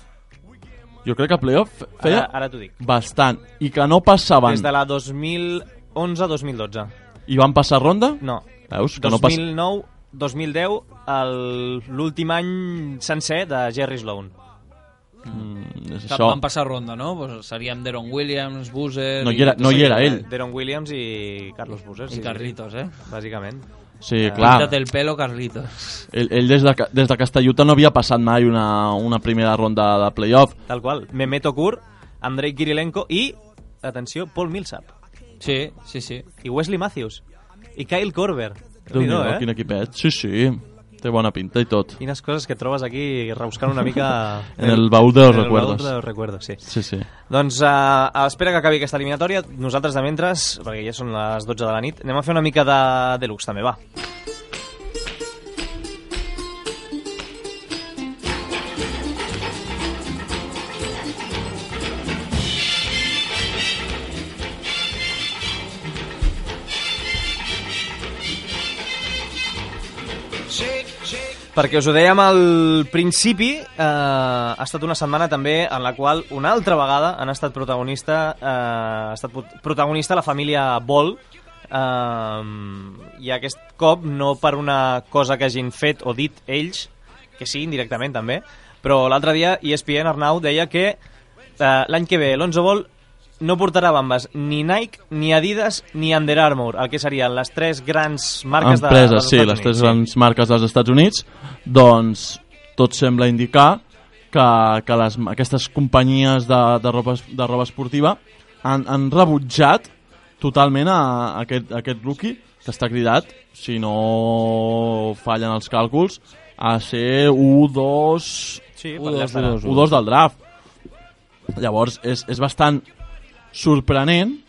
Jo crec que a playoff feia Ara t'ho dic. bastant, i que no passaven. Des de la 2011-2012. I van passar ronda? No. Veus? Que no passa... 2009-2010, l'últim any sencer de Jerry Sloan. És això. Van passar ronda, no? Pues seríem Deron Williams, Boozer... No hi era ell. Deron Williams i Carlos Boozer. I Carlitos, Bàsicament. Sí, clar. Píntate el pelo, Carlitos. Ell des de Castelluta no havia passat mai una primera ronda de playoff. Tal qual. Mehmet Okur, Andrei Kirilenko i, atenció, Paul Millsap. Sí. I Wesley Matthews. I Kyle Korver. Déu-n'hi-do, quin equipet. Sí. Té bona pinta i tot. Quines coses que trobes aquí rebuscant una mica... En el baúl de los recuerdos. En el baúl de los recuerdos, sí. Sí. Doncs a l'espera que acabi aquesta eliminatòria, nosaltres de mentres, perquè ja són les 12 de la nit, anem a fer una mica de deluxe també, va. Perquè us ho dèiem al principi, ha estat una setmana també en la qual una altra vegada ha estat protagonista la família Ball, i aquest cop no per una cosa que hagin fet o dit ells, que sí, indirectament també, però l'altre dia ESPN, Arnau, deia que l'any que ve Lonzo Ball no portarà bambes ni Nike, ni Adidas, ni Under Armour, el que serien les tres grans marques empreses, dels Estats Units. les tres grans marques dels Estats Units. Doncs tot sembla indicar que aquestes companyies de roba esportiva han rebutjat totalment a aquest rookie, que està cridat, si no fallen els càlculs, a ser U2 del draft. Llavors és bastant sorprenent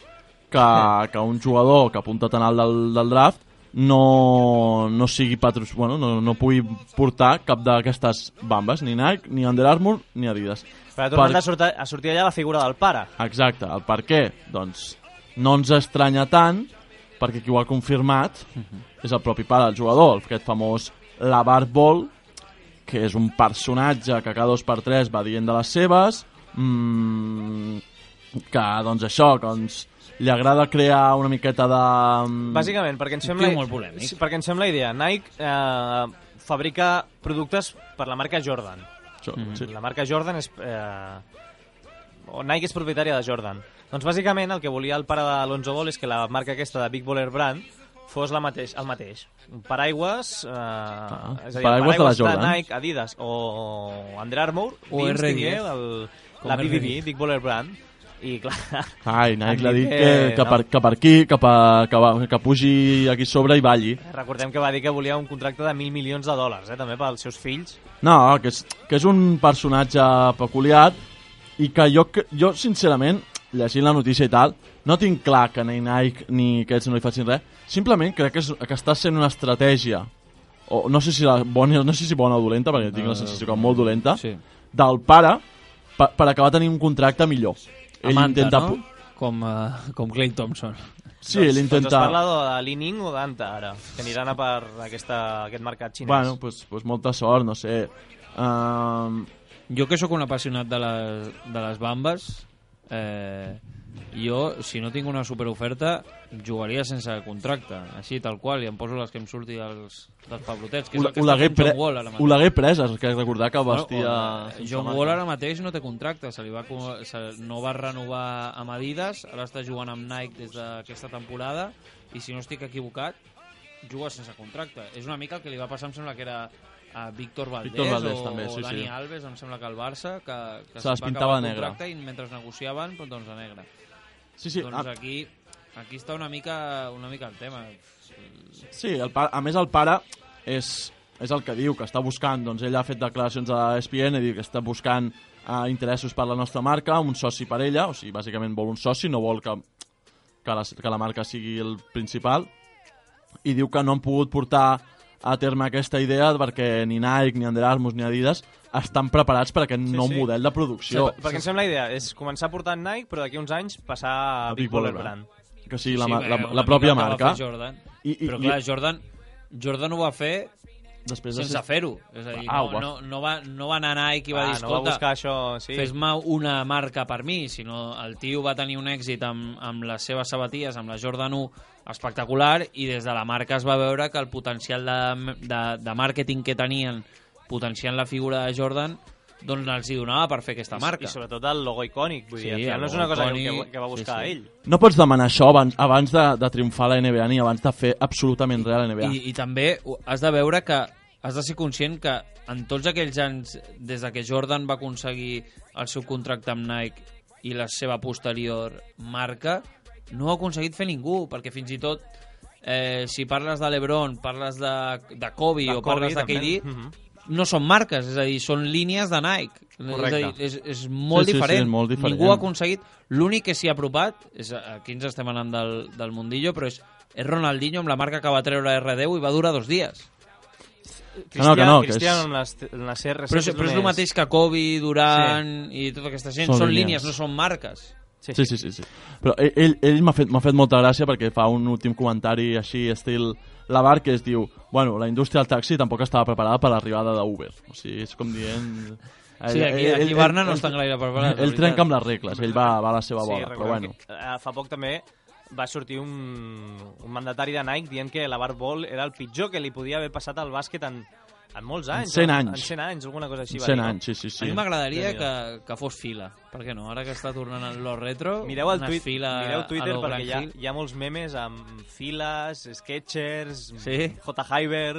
que un jugador que apunta tan alt del draft no sigui no pugui portar cap d'aquestes bambes, ni Nike, ni Under Armour, ni Adidas. Però ha tornat a sortir allà la figura del pare. Exacte, el per què? Doncs no ens estranya tant, perquè qui ho ha confirmat és el propi pare del jugador, aquest famós LeVar Ball, que és un personatge que cada 2x3 va dient de les seves, que doncs això, li agrada crear una miqueta de... Bàsicament, perquè ens sembla... molt polèmic. Perquè ens sembla idea. Nike fabrica productes per la marca Jordan. Sí. La marca Jordan és... Nike és propietària de Jordan. Doncs bàsicament el que volia el pare d'Alonso Ball és que la marca aquesta de Big Baller Brand fos el mateix. Un paraigües, és a dir, paraigües de la Jordan. de Nike, Adidas o Under Armour, o dins la BBB, Big Baller Brand. I clar... Ai, Nike l'ha dit que per aquí, que pugi aquí sobre i balli. Recordem que va dir que volia un contracte de $1.000 milions, també pels seus fills. No, que és un personatge peculiar i que jo sincerament, llegint la notícia i tal, no tinc clar que ni Nike ni aquests no li facin res. Simplement crec que està sent una estratègia, o no sé si bona o dolenta, perquè tinc la sensació que molt dolenta, sí, del pare per acabar tenint un contracte millor. Amanta, no? Com Klay Thompson. Sí, ell intenta... Doncs es parla de Li-Ning o d'Anta, ara, que aniran a per aquest mercat xinès. Bueno, pues molta sort, no sé. Jo que sóc un apassionat de les bambes, jo, si no tinc una superoferta, jugaria sense contracte, així, tal qual, i em poso les que em surti dels pablotets, que és el que està fent John Wall ara mateix. Ho l'hagué pres, que recordar que vestia... John Wall ara mateix no té contracte, no va renovar amb Adidas, ara està jugant amb Nike des d'aquesta temporada, i si no estic equivocat, juga sense contracte. És una mica el que li va passar, em sembla que era a Víctor Valdés també, o sí, Dani Alves, em sembla que al Barça, que se les pintava a negre. I mentre negociaven, doncs a negre. Sí. Doncs aquí està una mica el tema. Sí, a més el pare és el que diu, que està buscant, doncs ell ha fet declaracions a ESPN i diu que està buscant interessos per la nostra marca, un soci per ella, o sigui, bàsicament vol un soci, no vol que la marca sigui el principal, i diu que no han pogut portar a terme aquesta idea perquè ni Nike, ni Under Armour, ni Adidas estan preparats per aquest nou model de producció. Sí, perquè em sembla la idea és començar portant Nike, però d'aquí uns anys passar a Big Baller Brand. Que sigui la pròpia marca. Però clar, Jordan ho va fer sense fer-ho. És a dir, no va anar a Nike i va dir, escolta, fes-me una marca per mi, sinó el tio va tenir un èxit amb les seves sabatilles, amb la Jordan 1 espectacular, i des de la marca es va veure que el potencial de màrqueting que tenien potenciant la figura de Jordan doncs els hi donava per fer aquesta marca. I sobretot el logo icònic, vull dir, no és una cosa que va buscar ell. No pots demanar això abans de triomfar a la NBA ni abans de fer absolutament res a la NBA. I també has de veure que has de ser conscient que en tots aquells anys, des de que Jordan va aconseguir el seu contracte amb Nike i la seva posterior marca, no ho ha aconseguit fer ningú, perquè fins i tot si parles de LeBron, parles de Kobe o parles de KD, no són marques, és a dir, són línies de Nike. Correcte. És a dir, és molt diferent. Sí, molt diferent. Ningú ha aconseguit. L'únic que s'hi ha apropat, aquí ens estem anant del mundillo, però és Ronaldinho amb la marca que va treure R10 i va durar 2 dies. Cristiano amb les CR7. Però és el mateix que Kobe, Durant i tota aquesta gent. Són línies, no són marques. Sí. Però ell m'ha fet molta gràcia perquè fa un últim comentari així, estil LeVar, que es diu, bueno, la indústria del taxi tampoc estava preparada per l'arribada d'Uber. O sigui, és com dient... Sí, aquí Barna no estan gaire preparats. Ell trenca amb les regles, ell va a la seva bola, però bueno. Fa poc també va sortir un mandatari de Nike dient que LeVar Ball era el pitjor que li podia haver passat al bàsquet en molts anys. En 100 anys. En 100 anys, alguna cosa així. 100 anys, sí. A mi m'agradaria que fos fila. Per què no? Ara que està tornant a lo retro, mireu Twitter perquè hi ha molts memes amb files, Skechers, J. Hyber...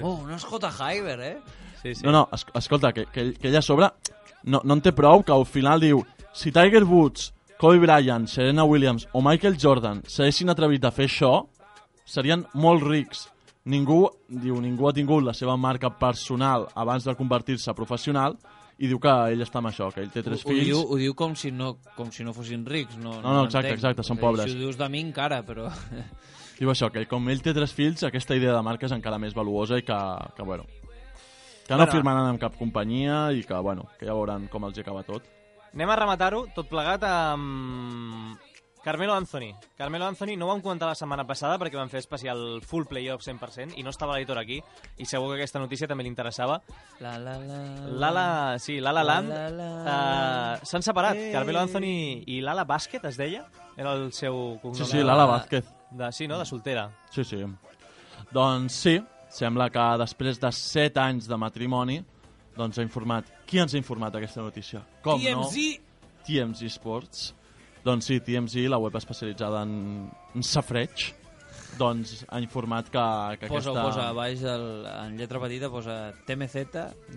no és J. Hyber, Sí. No, escolta, que ella a sobre no en té prou, que al final diu, si Tiger Woods, Kobe Bryant, Serena Williams o Michael Jordan s'haguessin atrevit a fer això, serien molt rics. Ningú ha tingut la seva marca personal abans de convertir-se professional i diu que ell està amb això, que ell té 3 fills. Ho diu com si no fossin rics. No, exacte, són pobres. Si ho dius de mi encara, però... diu això, que com ell té 3 fills, aquesta idea de marca és encara més valuosa i que bueno, que no firmaran amb cap companyia i que, bueno, que ja veuran com els hi acaba tot. Anem a rematar-ho tot plegat amb Carmelo Anthony. Carmelo Anthony no ho vam comentar la setmana passada perquè vam fer especial full playoff 100% i no estava l'editor aquí i segur que aquesta notícia també li interessava. L'Ala Land s'han separat. Carmelo Anthony i l'Ala Bàsquet, es deia? Era el seu cognom. Sí, l'Ala Vázquez. Sí, no? De soltera. Sí. Doncs sí, sembla que després de 7 anys de matrimoni doncs ha informat. Qui ens ha informat aquesta notícia? Com TMZ! No? TMZ Sports. Doncs sí, TMZ, la web especialitzada en safreig, doncs ha informat que aquesta... Posa a baix, en lletra petita, posa TMZ,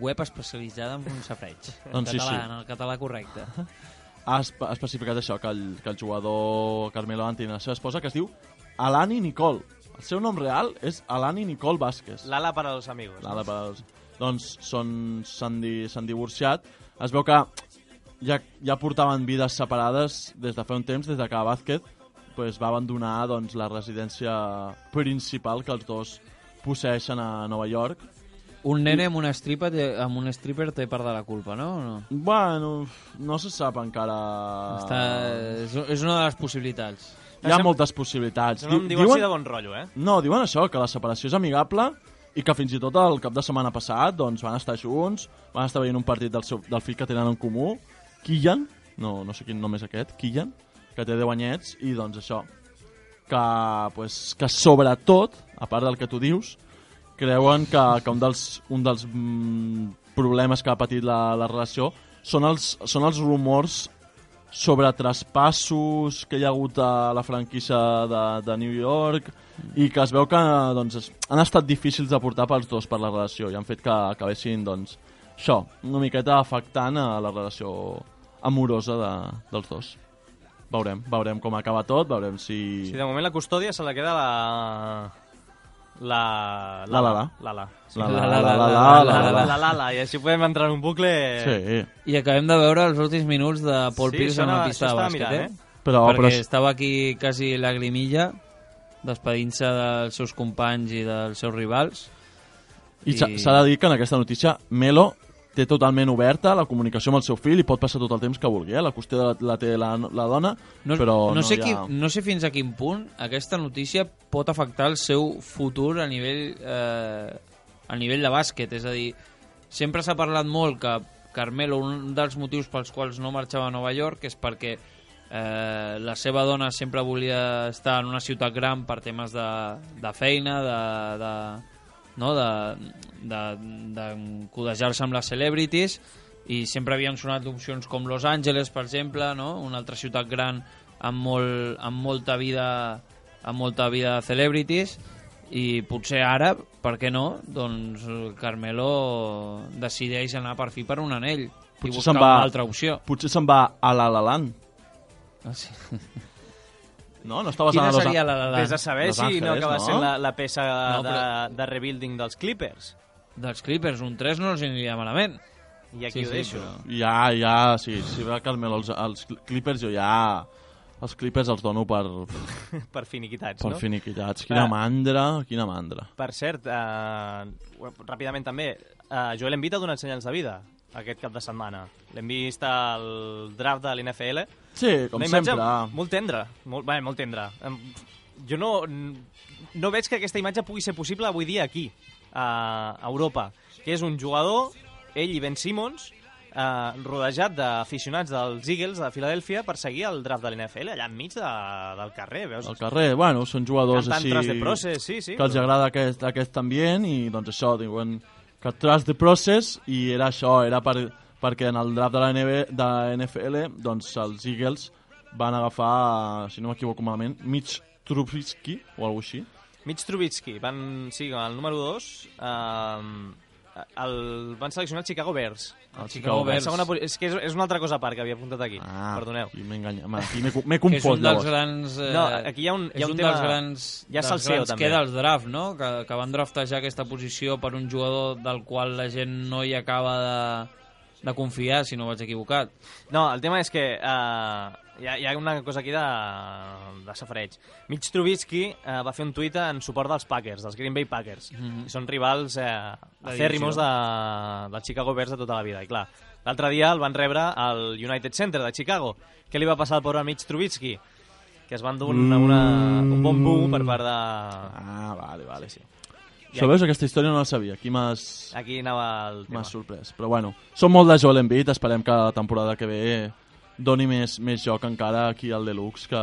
web especialitzada en safreig. Doncs sí. En el català correcte. Ha especificat això, que el jugador Carmelo Anthony i la seva esposa, que es diu Alani Nicole. El seu nom real és Alani Nicole Vázquez. L'Ala para los amigos. L'Ala para els... Doncs s'han divorciat. Es veu que ja portaven vides separades des de fa un temps, des de que Vázquez va abandonar doncs, la residència principal que els dos posseeixen a Nova York. Un nene amb un stripper té part de la culpa, no? Bueno, no se sap encara... És una de les possibilitats. Hi ha moltes possibilitats. No em diuen de bon rotllo, eh? No, diuen això, que la separació és amigable i que fins i tot el cap de setmana passat doncs, van estar junts, van estar veient un partit del fill que tenen en comú, Killian, no sé quin nom és aquest, Killian, que té 10 anyets, i doncs això, que sobretot, a part del que tu dius, creuen que un dels problemes que ha patit la relació són els rumors sobre traspassos que hi ha hagut a la franquícia de New York i que es veu que doncs, han estat difícils de portar pels dos per la relació i han fet que acabessin doncs, això, una miqueta afectant a la relació amorosa dels dos. Veurem com acaba tot, veurem si... Sí, de moment la custòdia se la queda L'Ala, i així podem entrar en un bucle... Sí. I acabem de veure els últims minuts de Paul Pierce en la pista de bàsquet, mirant, Perquè estava aquí quasi lagrimilla, despedint-se dels seus companys i dels seus rivals. I s'ha de dir que en aquesta notícia Melo té totalment oberta la comunicació amb el seu fill i pot passar tot el temps que vulgui. La qüestió la té la dona, però no sé fins a quin punt aquesta notícia pot afectar el seu futur a nivell de bàsquet. És a dir, sempre s'ha parlat molt que Carmelo, un dels motius pels quals no marxava a Nova York és perquè la seva dona sempre volia estar en una ciutat gran per temes de feina, de codejar-se amb les celebrities, i sempre havien sonat opcions com Los Angeles, per exemple, no? Una altra ciutat gran amb molta vida de celebrities, i potser ara, per què no, doncs Carmelo decideix anar per fi per un anell i buscar una altra opció. Potser se'n va a La La Land. Ah, sí. No estaves Quina seria La La Land? Vés a saber si no acaba sent la peça de rebuilding dels Clippers. Dels Clippers, un 3 no els aniria malament. I aquí ho deixo. Ja, sí, si va Carmelo els Clippers, jo ja... Els Clippers els dono per finiquitats, no? Per finiquitats. Quina mandra. Per cert, ràpidament també, Joel Embiid ha donat senyals de vida aquest cap de setmana. L'hem vist al draft de l'NFL. Sí, com sempre. Molt tendre. Molt tendre. Jo no veig que aquesta imatge pugui ser possible avui dia aquí, a Europa, que és un jugador, ell i Ben Simmons, rodejat d'aficionats dels Eagles de Filadèlfia per seguir el draft de l'NFL allà enmig del carrer, veus? Al carrer, bueno, són jugadors cantant així Trust the Process, sí. Que els agrada aquest ambient i doncs això, diuen que Trust the Process, i era això, era perquè en el draft de la NFL doncs els Eagles van agafar, si no m'equivoco malament, Mitch Trubisky o alguna cosa així. Mitch Trubisky, el número 2, van seleccionar el Chicago Bears. Chicago Bears. És que és una altra cosa a part que havia apuntat aquí. Perdoneu. Aquí m'he enganyat. Aquí m'he confós. És un dels grans... No, aquí hi ha un tema... dels grans... Hi ha salseo, també. Queda el draft, no? Que van draftejar aquesta posició per un jugador del qual la gent no hi acaba de confiar, si no vaig equivocat. No, el tema és que hi ha una cosa aquí de safareig. Mitch Trubisky va fer un tuit en suport dels Packers, dels Green Bay Packers. I són rivals acèrrimos del Chicago Bears de tota la vida. I clar, l'altre dia el van rebre al United Center de Chicago. Què li va passar al pobre Mitch Trubisky? Que es van dur un bon boo per part de... Vale, sí. Veus, aquesta història no la sabia. Aquí anava el tema. M'has sorprès. Però bueno, som molt de Joel Embiid. Esperem que la temporada que ve doni més joc encara aquí al Deluxe, que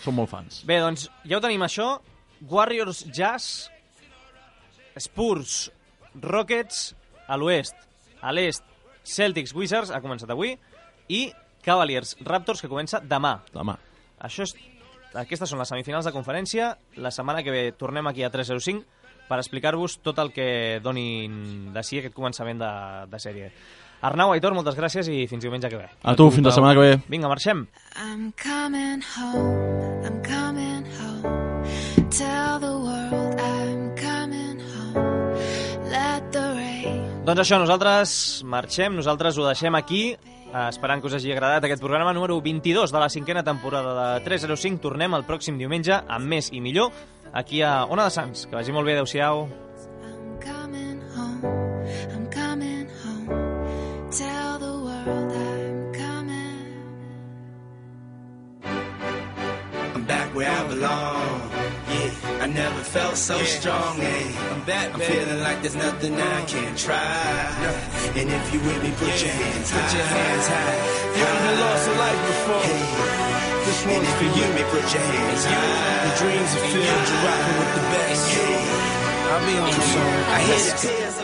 som molt fans. Bé, doncs ja ho tenim això. Warriors, Jazz, Spurs, Rockets a l'oest. A l'est, Celtics, Wizards, ha començat avui, i Cavaliers, Raptors, que comença demà. Aquestes són les semifinals de conferència. La setmana que ve tornem aquí a 305 per explicar-vos tot el que donin de si aquest començament de sèrie. Arnau, Aitor, moltes gràcies i fins diumenge que ve. A tu, fins la setmana que ve. Vinga, marxem. I'm coming home. Tell the world I'm coming home. Let the rain. Doncs això, nosaltres marxem, nosaltres ho deixem aquí, esperant que us hagi agradat aquest programa número 22 de la 5a temporada de 305. Tornem el pròxim diumenge amb més i millor aquí a Ona de Sants. Que vagi molt bé, adeu-siau. I'm coming home. Tell the world I'm coming. I'm back where I belong. Yeah, I never felt so strong. I'm back, I'm feeling like there's nothing I can't try. And if you with me, put your hands high. Put your hands high. You haven't lost a life before. This one's for you. Put your hands high. The dreams are filled. You're rocking with the best. I'll be on the song. I hear the tears.